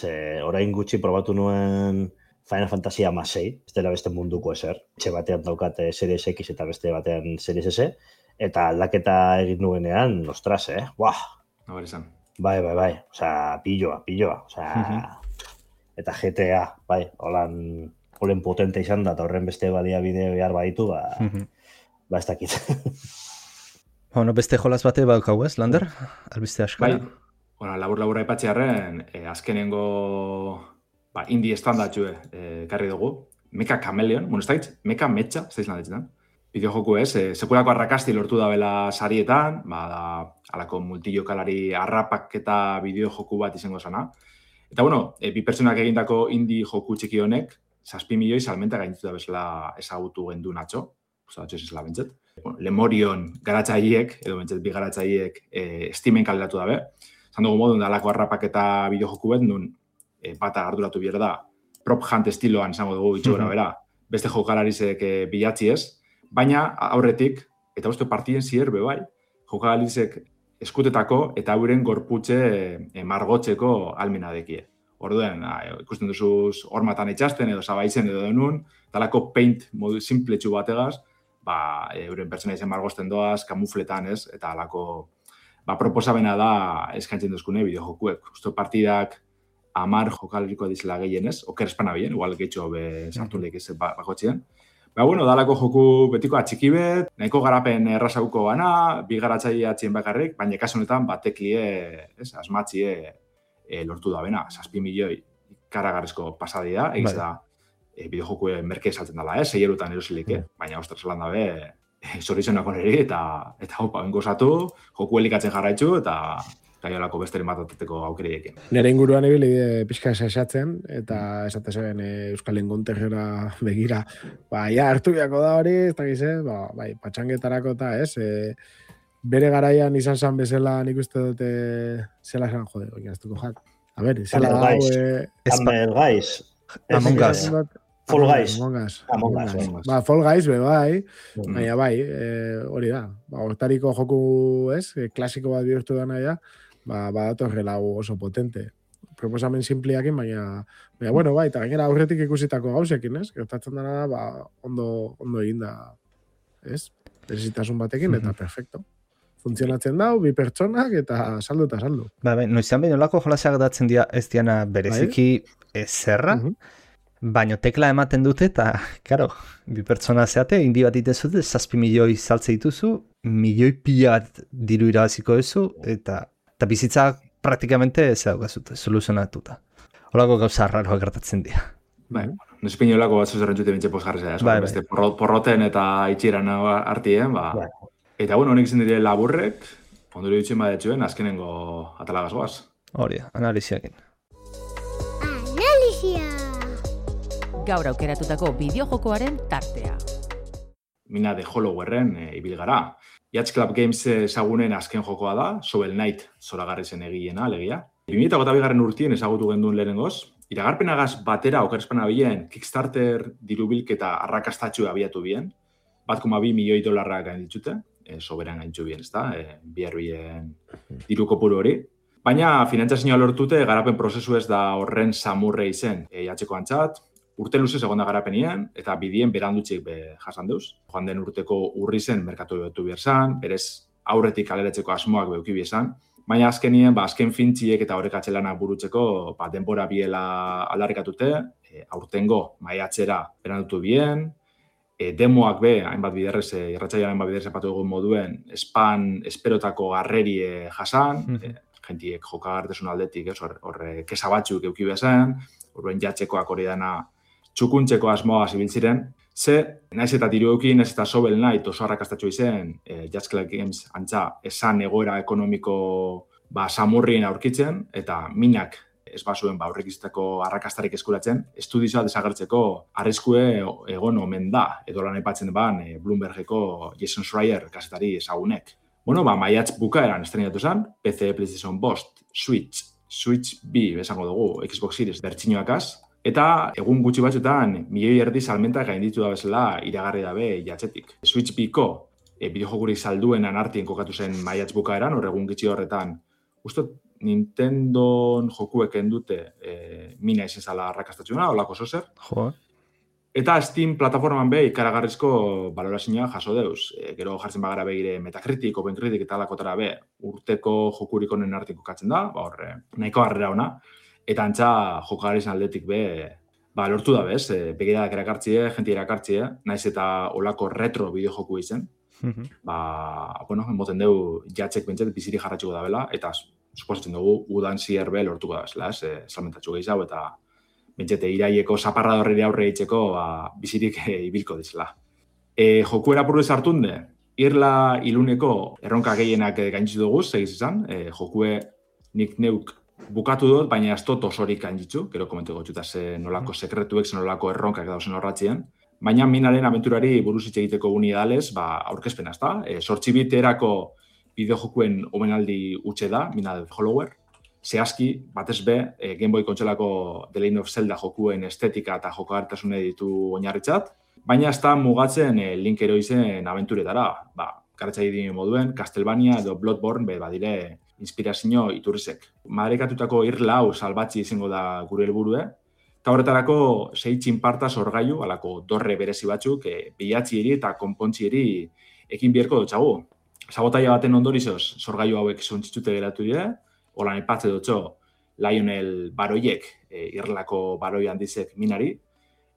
orain gutxi probatu nuen Final Fantasy XVI, ez dela beste munduko ezer. Etxe batean daukate Series X eta beste batean Series S, eta aldaketa egin nuenean, ostras, buah! Bai, osea, pilloa, osea, eta GTA, bai, olen potente izan da, eta horren beste baliabide behar baditu, ez dakit. Bueno, beste jolaz bate badukau ez, Lander? Albiste askara. Bai, labur-labur aipatzearen, azkenengo indie estandatxue karri dugu. Mecha Chameleon, ez dakit, Mecha Mecha, ez da izan datxetan. Bideojoku ez, sekulako arrakasti lortu da bela sarietan, alako multijokalari arrapaketa bideojoku bat izango zana. Eta, bueno, bi pertsonak egindako indie joku txiki honek, 7 milioi salmenta gainditu da bezala ezagutu gendu natxo. Zatxo ez bentzet. Lemorion garatzaileek, edo bentzet bi garatzaileek Steamen kaldatu dabe. Zan dugu modun da alako harrapaketa bideojoku bet, nun bata arduratu bier da, prop hunt estiloan izango dugu itxogora bera, beste jokalarizek bilatzi ez, baina aurretik, eta uste partien zier bai, jokalarizek eskutetako eta euren gorputxe margotzeko almena dekie. Orduen, ikusten duzuz hormatan itxasten edo zabaizen edo denun, talako paint modu simpletxu bategaz, euren pertsona izen margozten doaz, kamufletan ez, eta alako proposabena da eskaintzen duzkune bideojokuek. Usto partidak 10 jokaleriko dizela gehien ez, oker espana bien, igual gehitxo sartu lehik ez bakotxean. Bueno, dalako joku betiko atxiki bet, nahiko garapen errazauko gana, bi garatzaile atxien bakarrik, baina kasu honetan batekie, asmatzie lortu da bena, 7 milioi karagarrizko pasadia, egiz da, bideojokuen merke saltzen dela, 6 eurotan erosilik, baina ostras lan dabe, zorizonako niri, eta hopa, gozatu, joku elikatzen jarraitzu, eta gaiolako besteren bat ateteko aukeriekin. Nere inguruan ibili pixka esatzen, eta esatezeen Euskal Engonterrera begira, hartu biako da hori, ez dakiz, patxangetarako eta, bere garaian izan zan bezala nik uste dute zela esan, jode, oinaztuko jak. A ber, zela da... Amel Guys. Among Us. Fall Guys. Fall Guys, bai, baina hori da. Hortariko joku, klasiko bat bihurtu da naia, badatorrela oso potente. Proposamen simpliakin, baina bueno, eta gainera aurretik ikusitako gauzekin, gertatzen dena da, ondo eginda, berezitasun batekin, eta perfecto. Funtzionatzen dau, bi pertsonak, eta saldu. Noizean behin olako jolaseak datzen dira ez diana bereziki zerra, baina tekla ematen dute, eta, karo, bi pertsona zeate, indi bat itezute, 7 milioi saltze dituzu, milioi pila bat diru irabaziko duzu, eta bizitza praktikamente ez daukazute, soluzionatuta. Olako gauza raroak gertatzen dira. Nespein olako bat zuzerrentzute bintxe posgarrezea, beste porroten eta itxiran artien, Eta, bueno, honek izan dire laburrek, ondori dutxen badetxuen, azkenengo atalagaz goaz. Hori, analiziakin. Analizia! Gaur aukeratutako bideojokoaren tartea. mina de Hollowerren ibil gara. Yacht Club Games ezagunen azken jokoa da, Shovel Knight zoragarri zen egileena, alegia. 2022 urtien ezagutu genduen lehenengoz, iragarpenagaz batera okerespana bilen Kickstarter dirubilketa arrakastatxua abiatu bien, 1,2 milioi dolarrak gain ditute, soberan gaintxu bien, ez da, biarbien diru kopuru hori. Baina finantzazioa lortute garapen prozesu ez da horren samurre izen, jatxeko antzat, urte luzez egon da garapenien, eta bidien berandutxik jasan deuz. Joan den urteko urri zen merkatu betu bierzan, berez aurretik kaleratzeko asmoak beuki biezan, baina azkenien, azken fintziek eta horrek atxelanak burutzeko denbora biela aldarrikatute, aurtengo maiatzera berandutu bien, demoak hainbat biderrez, irratsaioan hainbat biderrez epatu egun moduen, spam esperotako garrerie jasan, jentiek jokagartesun aldetik, horre kesa batzuk euki bezan, horren jatxekoak hori dana txukuntzeko asmoa zibiltziren, naiz eta diru eukin, naiz eta Shovel Knight oso arrakastatxo izen, Yacht Club Games antza esan egoera ekonomiko samurrien aurkitzen, eta minak ez bazuen aurrekizteko arrakastarik eskuratzen, estudioa desagertzeko arriskue egon omen da, edo lan aipatzen ban Bloombergeko Jason Schreier kazetari ezagunek. Maiatz bukaeran estrenatu zen, PC, PlayStation 5, Switch B, esango dugu, Xbox Series bertxinoakaz, eta egun gutxi batzuetan, 1,5 milioi salmentak gainditu da bezala iragarri dabe jatzetik. Switch B-ko bideojokurik salduenan artien kokatu zen maiatz bukaeran, egun gutxi horretan, ustot Nintendon jokueken dute mina izin zala arrakastatxuna, olako zozer. Eta Steam plataforman ikaragarrizko balorazioa jaso deuz. Gero jartzen bagara begire Metacritic, OpenCritic eta alakotara urteko jokurik honen artien kokatzen da, nahiko harrera ona. Eta antza jokagarrizan aldetik lortu da bez, begiradak erakartzie, jenti erakartzie, naiz eta olako retro bideojoku izen. Moten deu jatxek bentzet biziri jarratxuko da bela, eta suposatzen dugu udan zier lortuko da bezala, salmentatxu gehiago, eta bentzete iraieko zaparra horreri aurre eitzeko bizirik ibilko dizela. Joku erapurru hartunde, irla iluneko erronka gehienak gaintzitu dugu, segiz izan, jokue nik neuk bukatu dut, baina ez dut osorik gaintzitzu, gero komentu gotxuta nolako sekretuek, nolako erronkak dauzen horratzien, baina minaren abenturari buruz hitz egiteko unidales, aurkezpena ez da, 8 biterako bideojokuen omenaldi utxe da, mina de Hollower, zehazki, batez Game Boy kontsolako The Legend of Zelda jokuen estetika eta jokagartasune ditu oinarritzat, baina ez da mugatzen Link Heroesen abenturetara, garatzaile dinen moduen, Castlevania edo Bloodborne badire inspirazio iturrizek. Marekatutako irlau salbatzi izango da gure helburue, eta horretarako 6 txinparta sorgailu, alako dorre berezi batzuk, bilatzieri eta konpontzieri ekin bierko dutxagu. Sabotaia baten ondorizoz, sorgailu hauek zontzitute geratu dira, holan epatze dutxo Lionel baroiek, irlako baroi handizek minari,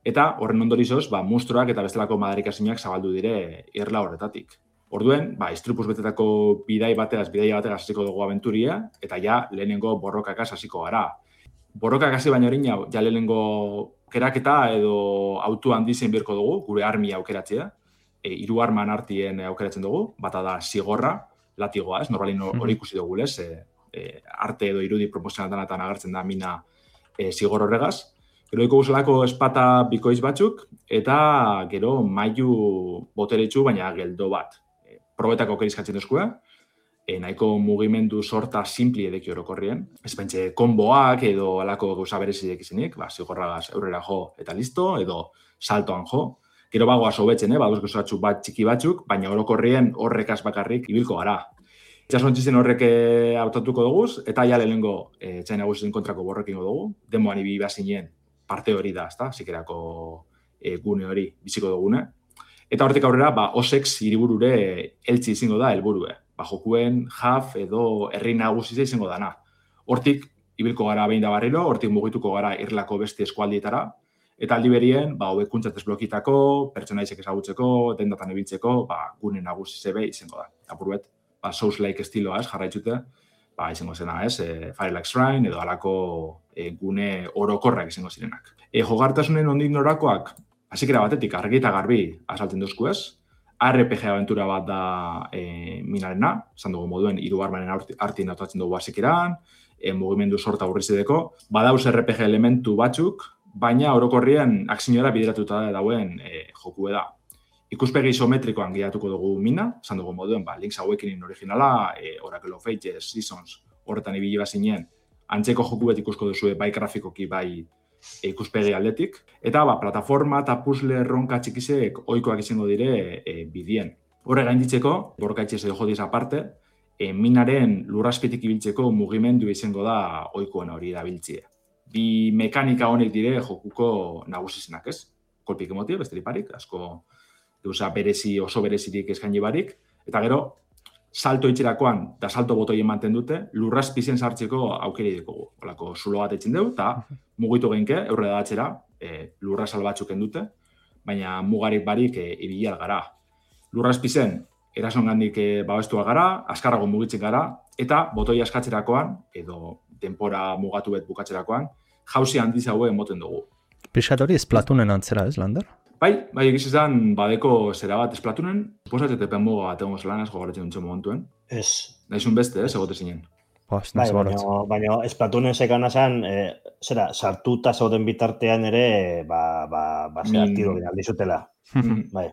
eta horren ondorizoz, monstruak eta bestelako madarikasinak zabaldu dire irla horretatik. Orduen, istripuz betetako bidaia bategaz hasiko dugu abenturia, eta lehenengo borrokakaz hasiko gara. Borrokak hasi baina hori lehenengo keraketa edo autu handizen birko dugu, gure armia aukeratzea, 3 arman artien aukeratzen dugu, bata da zigorra, latigoa, normalin hori ikusi dugu, arte edo irudi proportzionatan agertzen da mina zigor horregaz. Gero ikugu zelako espata bikoiz batzuk, eta gero mailu boteretsu, baina geldo bat. Probetako aukeriskatzen duzkue, nahiko mugimendu sorta simpli edeki orokorrien. Ez pentsa konboak edo alako gauza berezidek izenik, zigorragaz aurrera jo eta listo, edo saltoan jo. Gero bagoaz hobetzen, baduz gozatxu bat txiki batzuk, baina orokorrien horrekaz bakarrik ibilko gara. Itxasontzizen horrek hautatuko duguz, eta lehenengo txain nagusizen kontrako borrekingo dugu. Demoan ibi bazinien parte hori da, zikerako gune hori biziko dugune. Eta hortik aurrera, OSEX hiriburure eltzi izango da helburue. Jokuen jaf edo herri nagusize izango dana. Hortik, ibilko gara behin da barriro, hortik mugituko gara irlako beste eskualdietara, eta aldi berien, hobekuntzat ezblokitako, pertsonaizek ezagutzeko, dendatan ebiltzeko, gune nagusize be izango da. Apuruet, Souls-like estiloa jarraitzute, izango zena Firelight Shrine edo alako gune orokorrak izango zirenak. Jogartasunen ondik norakoak, hasikera batetik, argi eta garbi azaltzen duzku ez, RPG aventura bat da minarena, esan dugu moduen, 3 armanen artien autoatzen dugu hasikeran, mugimendu sorta urrizideko, badauz RPG elementu batzuk, baina orokorrien akziñora bideratuta dauen jokue da. ikuspegi isometrikoan gidatuko dugu mina, esan dugu moduen, Link's Awakening originala, Oracle of Ages, Seasons, horretan ibili bazinen, antzeko joku bet ikusko duzu bai grafikoki, bai ikuspegi aldetik. Eta plataforma eta puzzle erronka txikizek ohikoak izango dire bidien. Horre gainditzeko, borkaitxez edo jodiz aparte, minaren lurrazpitik ibiltzeko mugimendu izango da ohikoen hori erabiltzea. Bi mekanika honek dire jokuko nagusizenak, ez? Kolpik emotia, besteriparik, asko oso berezirik eskaini barik, eta gero, salto itxerakoan eta salto botoien manten dute, lurrazpizien sartzeko aukeri ditugu. Olako zulo bat etxin dugu, eta mugitu genke, eurre datzera, lurrazal batzuk endute, baina mugarik barik ibili gara. Lurrazpizen, erason gandik babestu gara, askarrago mugitzen gara, eta botoi askatzerakoan, edo denpora mugatu bet bukatzerakoan, jauzi handiz haue emoten dugu. Pixat hori Splatunen antzera, ez, Lander? Bai, egizizan badeko zera bat Splatunen, suposatzen muga bat egon zelan, ez gogoratzen dutxen momentuen. Ez. Naizun beste, egote zinen. Bai, baina Splatunen sekana zen, sartuta zauden bitartean ere, tiro aldizutela. Bai.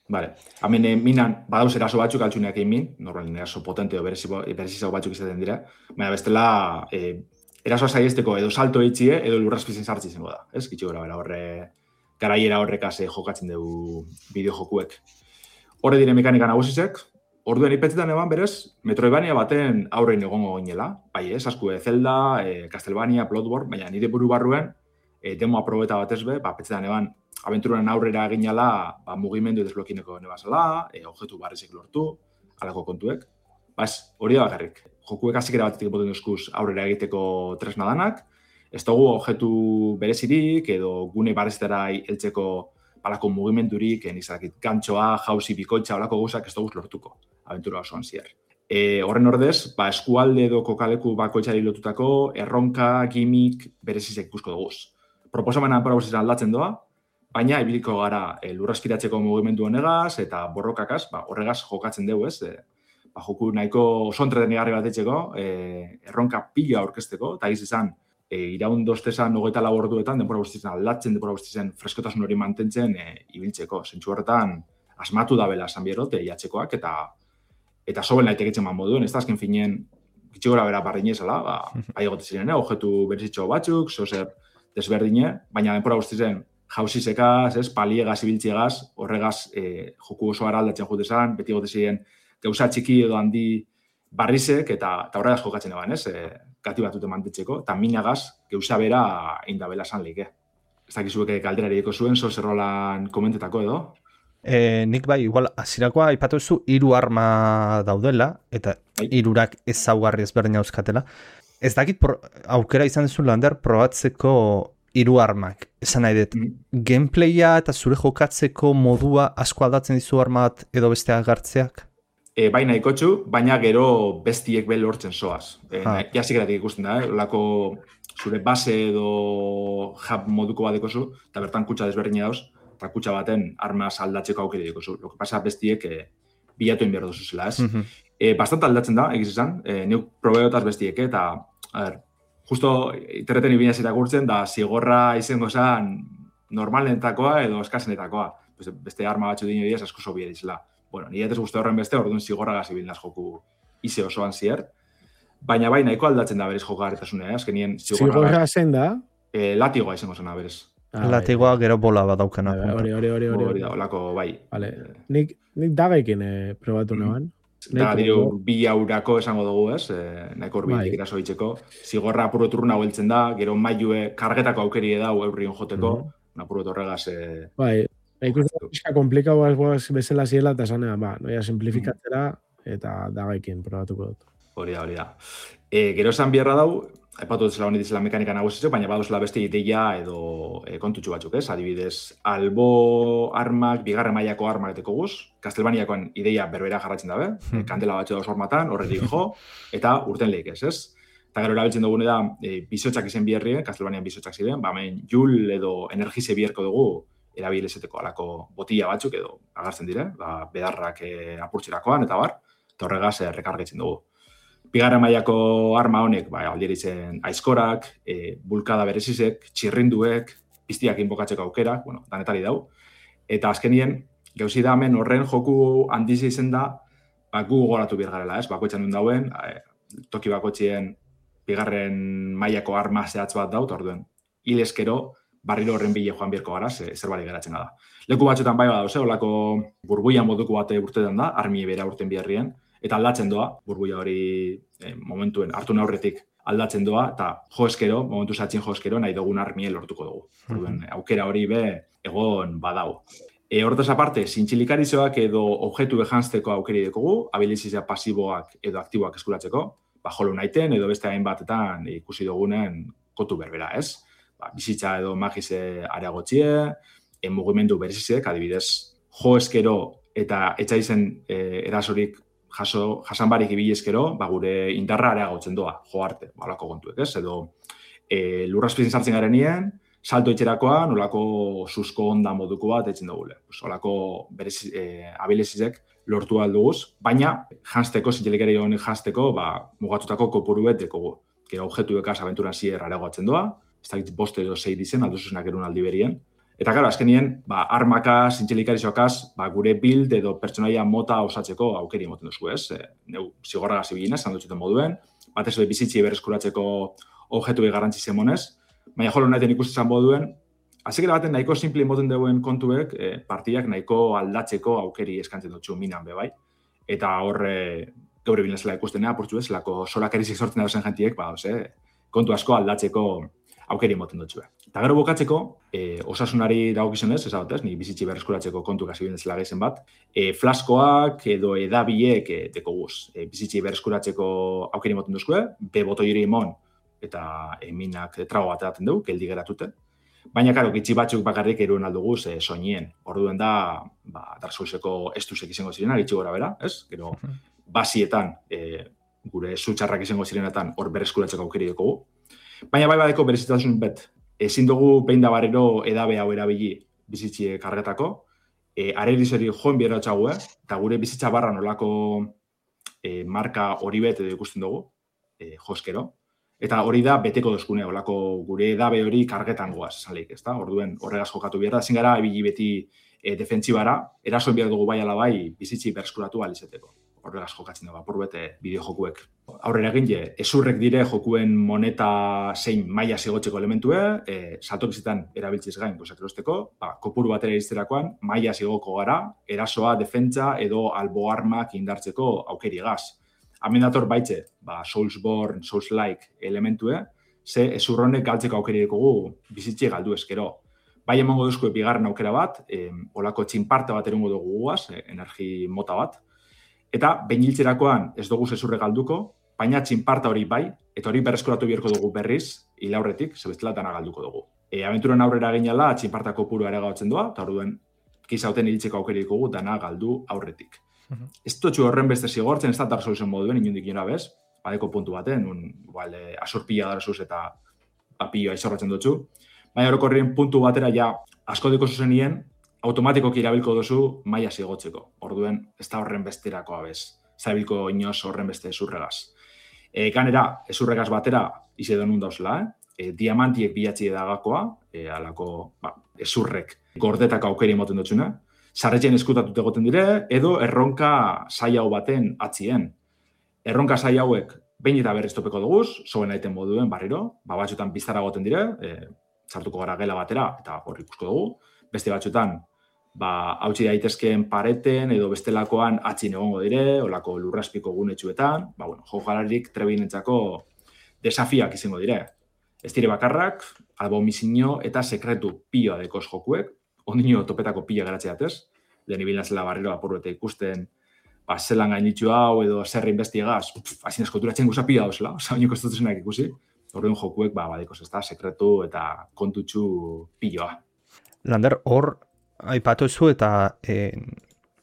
Vale. Hemen minan badauz eraso batzuk altxuneak egin min, normalen eraso potente o berezizau batzuk izaten dira, baina bestela erasoa saiesteko edo salto eitzie edo lurrazpizen sartzi izango da, ez? Gitxo gara horre garaiera horrekaz jokatzen dugu bideojokuek. Horre dire mekanika nagusizek, orduen ipetzetan eban berez, Metroidvania baten aurrein egongo ginela, bai ez, askue Zelda, Castlevania, Bloodborne, baina nire buru barruen, demo aprobeta batez be, petzetan eban abenturan aurrera eginala mugimendu desblokineko nebazala, objektu barrizek lortu, alako kontuek. Hori da bakarrik. Jokuek azikera batetik boten duzkuz aurrera egiteko tresna danak, ez dugu objektu berezirik edo gune barriztera heltzeko alako mugimendurik, nizakit gantxoa, jauzi, bikoitza, alako gauzak ez dugu lortuko, abentura osoan zier. Horren ordez, eskualde edo kokaleku bakoitzari lotutako erronka, gimmick berezizek ikusko dugu. Proposamena proposizan aldatzen doa, baina ibiliko gara lurrazpiratzeko mugimendu honegaz eta borrokakaz, horregaz jokatzen dugu, ez? Joku nahiko oso entretenigarri bat etxeko, erronka pila aurkezteko, eta egiz izan, iraun doztezan 24 orduetan, denbora guztizan aldatzen, denbora guztizan freskotasun hori mantentzen ibiltzeko. Zentsu horretan, asmatu da bela esan bierot, jatzekoak, eta sobel nahi tegitzen moduen, ez da azken finien, gitxigora bera barrinezala, bai egote ziren, objektu berezitxo batzuk, zozer desberdine, baina denbora guztizan, jauzizekaz, paliegaz, ibiltziegaz, horregaz joku oso ara aldatzen jutezan, beti gote ziren gauza txiki edo handi barrizek eta horregaz jokatzen eban, gati batute mantetzeko, eta minagaz gauza bera indabela esan like. Ez dakizuek galderari eko zuen, zerrolan komentetako edo? Nik bai, igual, azirakoa aipatu zu 3 arma daudela, eta 3 ezaugarri ezberdina euskatela. Ez dakit aukera izan duzun Lander probatzeko 3 armak. Esan nahi dut, gameplaya eta zure jokatzeko modua asko aldatzen dizu arma bat edo besteak gartzeak? Bai nahikotxu, baina gero bestiek behel lortzen zoaz. Jasikeratik ikusten da, lako zure base edo hub moduko bat dekozu, eta bertan kutsa desberdin dauz, eta kutsa baten arma aldatzeko aukeri dekozu. Lo que pasa bestiek bilatu inbierdo zuzela, ez? Bastant aldatzen da, egiz izan, neuk probeotaz bestiek, eta justo interreten ibina zirakurtzen, da zigorra izango zen normalentakoa edo eskazenetakoa. Beste arma batzu dino diaz asko sobia dizela. Bueno, nire ez guzti horren beste, orduan zigorra gazibilnaz joku ize osoan zier. Baina bai, nahiko aldatzen da berez jokagarritasune, azkenien zigorra... Zigorra zen da? Latigoa izango zena berez. Latigoa gero bola bat daukena. Hori da, olako, bai. Nik dagaikin probatu naban. Eta diru 2 eurako esango dugu, ez? Nahiko horbitik eraso itxeko. Zigorra apuroturruna hueltzen da, gero mailue kargetako aukeri edau eurrion joteko, apurot horregaz... Bai, ikusten pixka komplikau bezala ziela eta zanean, noia simplifikatzera eta dagaikin probatuko dut. Hori da. Gero esan biherra dau, aipatu dut zela honetizela mekanika nagusitzeko, baina baduzela beste ideia edo kontutxu batzuk, ez? Adibidez, albo armak, 2. mailako armak eteko guz, Castlevaniakoan ideia berbera jarratzen dabe, kandela batzu dauz hormatan, horretik jo, eta urten lehik ez? Eta gero erabiltzen dugune da, bizotxak izen biherrien, Castlevanian bizotxak ziren, hemen jul edo energize biherko dugu, erabilezeteko alako botila batzuk edo agartzen dire, bedarrak apurtzerakoan eta bar, eta horregaz rekargetzen dugu. 2. mailako arma honek, aldiritzen aizkorak, bulkada berezizek, txirrinduek, piztiak inbokatzeko aukerak, danetari dau. Eta azkenien, Gauzi da hemen horren joku handiz izen da, gu gogoratu birgarela, ez? Bakoitzan duen dauen, toki bakoitzien bigarren mailako arma zehatz bat daut, orduen. Hilezkero, barriro horren bile joan birko gara, zerbari geratzen da. Leku batzutan bai badauz, olako burbuian moduko bate urtetan da, armi bera urten biherrien, eta aldatzen doa, burbuia hori momentuen hartu aurretik aldatzen doa, eta joeskero, momentu zatzin joeskero, nahi dugun armien lortuko dugu. Orduen, aukera hori be egon badau. Hortaz aparte, zintxilikarizoak edo objektu behanzteko aukeri dekogu, abilizizia pasiboak edo aktiboak eskuratzeko, Hollow Knighten edo beste hainbatetan ikusi dugunen kontu berbera, ez? Bizitza edo magize areagotzie, mugimendu berezizek, adibidez, jo eskero eta etxaizen erasorik jasan barik ibili eskero, gure indarra areagotzen doa, jo arte, balako kontuek, ez? Edo lurrazpizien sartzen garen nien, salto etxerakoan, olako susko onda moduko bat etxen dugule. Olako abilezizek lortu alduguz, baina janzteko, zintxelikari honek janzteko, mugatutako kopuru bet dekogu. Gero objektu ekaz abenturan zier areagoatzen doa, ez dakit boste edo 6 dizen, alduzuzenak erun aldi berien. Eta gara, azkenien, armakaz, zintxelikarizoakaz, gure build edo pertsonaia mota osatzeko aukeri emoten duzu, ez? Neu, zigorragaz ibigina, zandutxuten moduen, batez edo bizitzi berreskuratzeko objektu garrantzi zemonez, baina Hollow Knighten ikusten moduen, azekera baten nahiko simple emoten duen kontuek, partiak nahiko aldatzeko aukeri eskantzen dutxu minan bebai. Eta horre, gaur ebilin zela ikusten apurtzu ez, lako solakerizik sortzen dagozen jentiek, kontu asko aldatzeko aukeri emoten dutxu. Eta gero bukatzeko, osasunari dagokizunez, ez dut ez, ni bizitzi berreskuratzeko kontu kasi bidez lagaizen bat, flaskoak edo edabiek deko guz. Bizitzi berreskuratzeko aukeri emoten duzkue, botoiri emon, eta minak trago bat edaten dugu, geldi geratute. Baina, karo, gitzi batzuk bakarrik eruen alduguz soinien. Orduen da, Dark Soulseko estuzek izango zirena, gitzi gora bera, ez? Gero, basietan, gure zutxarrak izango zirenetan hor berreskuratzeko aukeri dekogu. Baina bai badeko berezitasun bet, ezin dugu behin da barrero edabe hau erabili bizitzie kargetako, arerizori joan biera txagu, eta gure bizitza barra nolako marka hori bet edo ikusten dugu, joskero. Eta hori da beteko dozkune, olako gure edabe hori kargetan goaz, esanleik, ez da? Orduen horregaz jokatu behar da, ezin gara ebili beti defentsibara, erasoen behar dugu bai alabai bizitzi berreskuratu alizeteko. Horregaz jokatzen dugu, apurbete bideo jokuek. Aurrera egin, ezurrek dire jokuen moneta zein maila zigotzeko elementue, saltokizetan erabiltziz gain, gozak erosteko, kopuru batera izterakoan, maila zigoko gara, erasoa, defentsa edo alboarmak indartzeko aukeri egaz. Hemen dator baitze, Soulsborne, Souls-like elementue, ze ezurronek galtzeko aukeri dekogu bizitzi galdu eskero. Bai emango duzko bigarren aukera bat, olako txinparte bat erungo dugu guaz, energi mota bat, eta behin hiltzerakoan ez dugu ezurre galduko, baina txinparta hori bai, eta hori berreskuratu biherko dugu berriz, hilaurretik, zebestela dana galduko dugu. Abenturan aurrera gineala, txinpartako puru ere gautzen doa, eta orduen kizauten hiltzeko aukeri dugu dana galdu aurretik. Ez dutxu horren beste zigortzen, ez da Dark Soulsen moduen, inundik ino bez, badeko puntu baten, asurpila darazuz eta apioa izorratzen dutxu. Baina orokorrien puntu batera ja asko deko zuzenien, automatikoki irabilko duzu maila zigotzeko. Orduen, ez da horren besterakoa bez. Ez da bilko inoz horren beste ezurregaz. Ganera, ezurregaz batera, izedon dauzela, diamantiek bilatzi edagakoa, alako ezurrek gordetako aukeri emoten dutxuna, sarretxen eskutatut egoten dire, edo erronka saia hau baten atzien. Erronka saia hauek behin eta berriz topeko duguz, zoen aiten moduen barriro, batzutan biztara egoten dire, sartuko gara gela batera, eta hor ikusko dugu. Beste batzutan, hautsi daitezkeen pareten, edo bestelakoan atzin egongo dire, olako lurraspiko gunetxuetan, jokalarik trebinentzako desafiak izango dire. Ez dire bakarrak, albomizio eta sekretu pioa dekoz jokuek, ondino topetako pila geratzea atez, lehen ibilazela barriro apurbete ikusten, zelan gainitxu hau edo zerri investiegaz, hazin eskoturatzen guza pila dauzela, oinoko ez dutuzenak ikusi, horren jokuek badekoz ez da, sekretu eta kontutxu piloa. Lander, hor, aipatu zu eta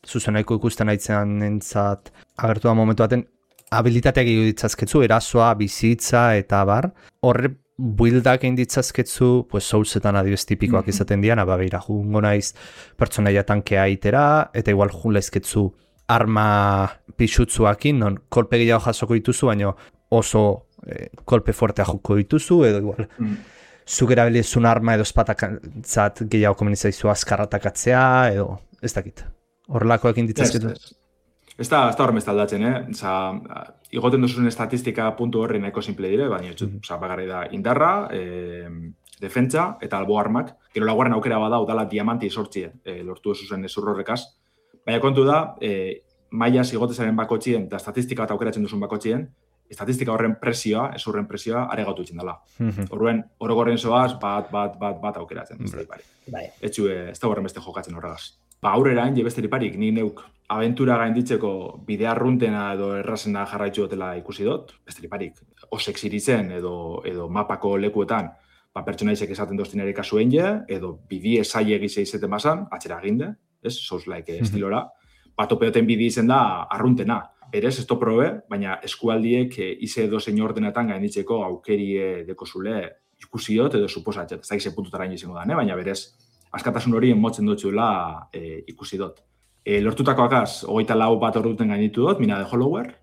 zuzenaiko ikusten aitzean entzat agertu da momentu baten, habilitateak ditzazketzu, erasoa, bizitza eta bar, horre buildak egin ditzazketzu, Soulsetan adibez tipikoak izaten dian, beira, jungo naiz pertsonaia tankea itera, eta igual junlaizketzu arma pixutzuakin, non kolpe gehiago jasoko dituzu, baina oso kolpe fuertea joko dituzu, edo igual zuk erabilizun arma edo espatakantzat gehiago komenizaizu azkarratakatzea, edo ez dakit. Horrelakoekin ditzazketu? Ez da horremez aldatzen, igoten duzun estatistika puntu horri nahiko simple dire, baina bagarri da indarra, defentsa eta albo armak, gero laguaren aukera badau dala diamanti sortzie, lortu zuzen ezur horrekaz. Baina kontu da, mailaz igotezaren bakotxien eta estatistika bat aukeratzen duzun bakotxien, estatistika horren presioa, ezurren presioa, aregatu itzen dela. Horren, orogorren zoaz, bat aukeratzen. Ez da horren beste jokatzen horregaz. Aurrera, besteri parik, nik neuk abentura gainditzeko bidea arruntena edo errazena jarraitzu dutela ikusi dut, besteri parik, osek ziritzen edo mapako lekuetan, pertsonaizek esaten doztin ere kasuen edo bidie saie egize izeten basan, atxera eginde, Souls-like estilora, topeoten bidi izen da arruntena. Berez, ez probe, baina eskualdiek ize edo zein ordenetan gainditzeko aukerie dekozule ikusi dut edo suposatzen. Ez da ize puntutara izango da, baina berez, askatasun hori motzen dutxula ikusi dut. Lortutakoakaz, 24 bat orduten gainditu dut, Mina de Hollower,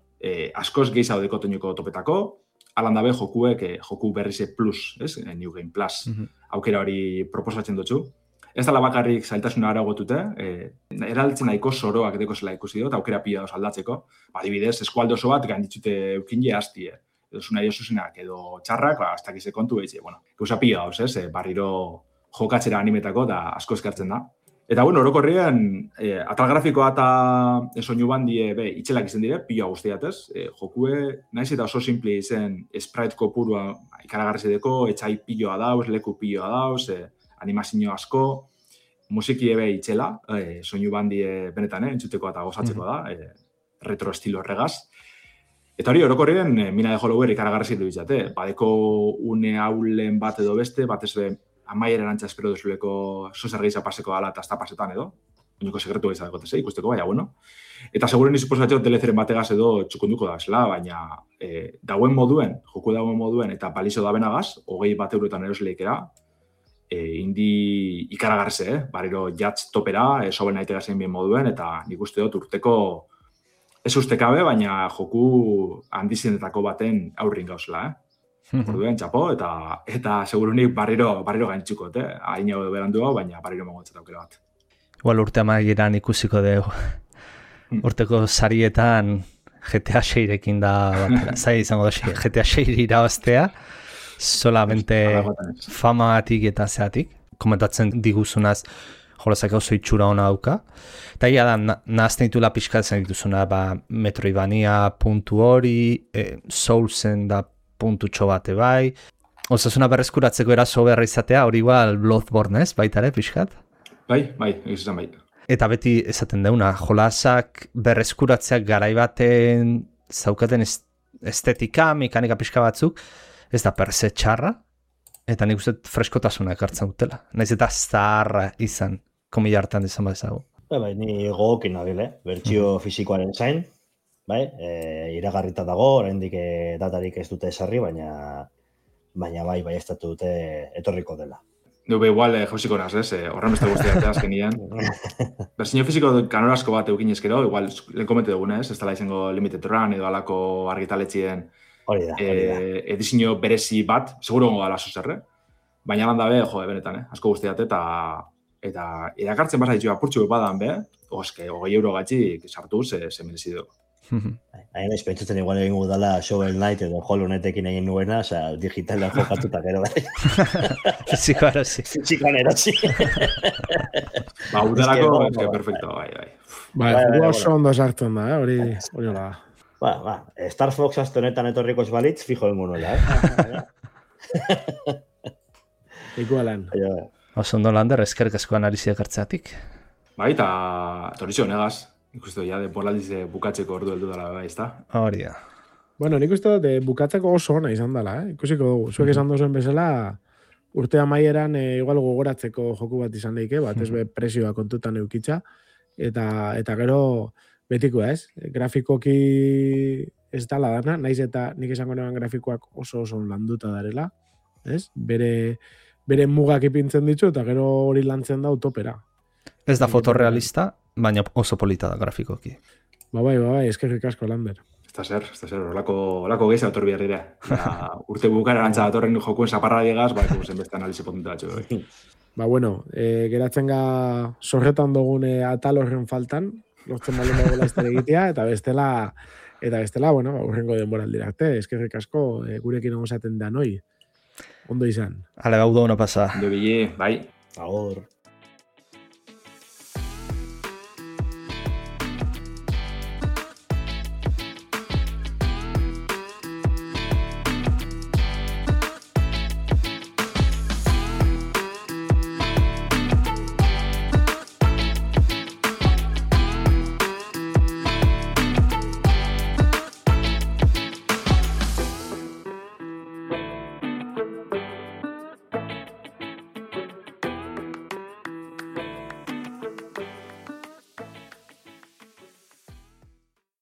askoz gehiago dekotoinoko topetako, alan dabe joku berrize plus, New Game Plus, aukera hori proposatzen dutxu. Ez dala bakarrik zailtasuna aragotute, eraltzen nahiko soroak dekozela ikusi dut, aukera pila doz aldatzeko. Adibidez, eskualdo oso bat gainditzute eukinje hastie, edo zunai osuzenak, edo txarrak, ez dakize kontu behitze. Gauza pila doz, barriro jokatzera animetako da asko eskartzen da. Eta orokorrien, atal grafikoa eta soinu bandie itxelak izen dire, pila guztiatez. Jokue, naiz eta oso simple izen sprite kopurua ikaragarrizedeko, etxai piloa dauz, leku piloa dauz, animazio asko, musiki itxela, soinu bandie benetan, entzuteko eta gozatzeko da, retro estilo horregaz. Eta hori, orokorrien, Mina de Hollower ikaragarrizidu ditzate. Badeko une haulen bat edo beste, bat ez amaiera erantza espero duzuleko zozergeiza paseko gala eta azta pasetan edo. Uniko sekretu gaiza dagotez, ikusteko, baina, bueno. Eta seguren izuposatxo telezeren bategaz edo txukunduko da, baina dauen moduen, joku dauen moduen eta balizo da benagaz, 20 eurotan erosleikera, indi ikaragarze, barriro jatz topera, soben naitegazen bien moduen, eta nik uste dut urteko ez ustekabe, baina joku handizenetako baten aurrin gauzela, Orduen, txapo, eta segurunik barriro gaintxuko, hain hau berandu hau, baina barriro mongotzat aukera bat. Igual urte amaieran ikusiko dugu. Urteko sarietan GTA 6-rekin da batera. Zai izango da GTA 6 irabaztea, solamente famatik eta zeatik. Komentatzen diguzunaz, jolazak oso itxura hona dauka. Eta ia da, nahazten ditula pixkatzen dituzuna, Metroidvania puntu hori, Soulsen da puntutxo bate bai. Osasuna berreskuratzeko eraso berra izatea, hori igual Bloodborne ez, baitare, pixkat? Bai, egizuzan bai. Eta beti esaten deuna, jolasak berreskuratzeak garaibaten zaukaten estetika, mekanika pixka batzuk, ez da perse txarra, eta nik uste freskotasuna ekartzen dutela. Naiz eta zaharra izan, komila hartan izan badezago. Bai, ni gogokin nabile, bertsio fisikoaren zain, bai, iragarrita dago, oraindik datarik ez dute esarri, baina bai estatu dute etorriko dela. Igual jauziko naz, horren beste guztiak azkenian. Bersinio fisiko kanorazko bat eukin eskero, igual lehen komente dugunez, ez dela izango limited run edo alako argitaletxien edizio berezi bat, seguro gongo dala zuzerre, baina lan dabe, benetan, asko guztiak eta irakartzen basa ditu apurtxu badan, oske, 20 euro gatxik sartu ze merezidu. Hain ez pentsatzen igual egin gudala Shovel Knight edo Hollow Knightekin egin nuena, digitalean jokatuta gero bai. Fiziko erosi. Fizikoan erosi. Udalako, perfecto, bai. Oso ondo sartzen da, hori hola. Star Fox aste honetan etorriko ez balitz, fijo dengo nuela, Ikualan. Oso ondo lander, eskerrik askoan ariziak hartzeatik. Bai, eta torizio negaz. Ikustu, ja, denporaldiz bukatzeko ordu heldu dela, bai, ez da? Hori da. Bueno, nik uste dut bukatzeko oso ona izan dela, Ikusiko dugu. Zuek esan duzuen bezala, urte amaieran igual gogoratzeko joku bat izan leike, bat ez presioa kontutan eukitza, eta gero betiko ez, grafikoki ez dala dana, naiz eta nik esango neban grafikoak oso landuta darela, ez? Bere mugak ipintzen ditu, eta gero hori lantzen da utopera. Ez da fotorealista, baina oso polita da grafikoki. Bai, eskerrik asko, Lander. Ez da zer, olako geiza otor behar dira. Urte bukara arantza datorren jokuen zaparra diegaz, zen beste analizi potentatxo. Ba, bueno, geratzen ga sorretan dugune atal horren faltan, lortzen balen dago laizter egitea, eta bestela, bueno, urrengo denboraldira arte, eskerrik asko gurekin egozaten da noi. Ondo izan. Ale, gaudo, ono pasa. Ondo bile, bai. Agor.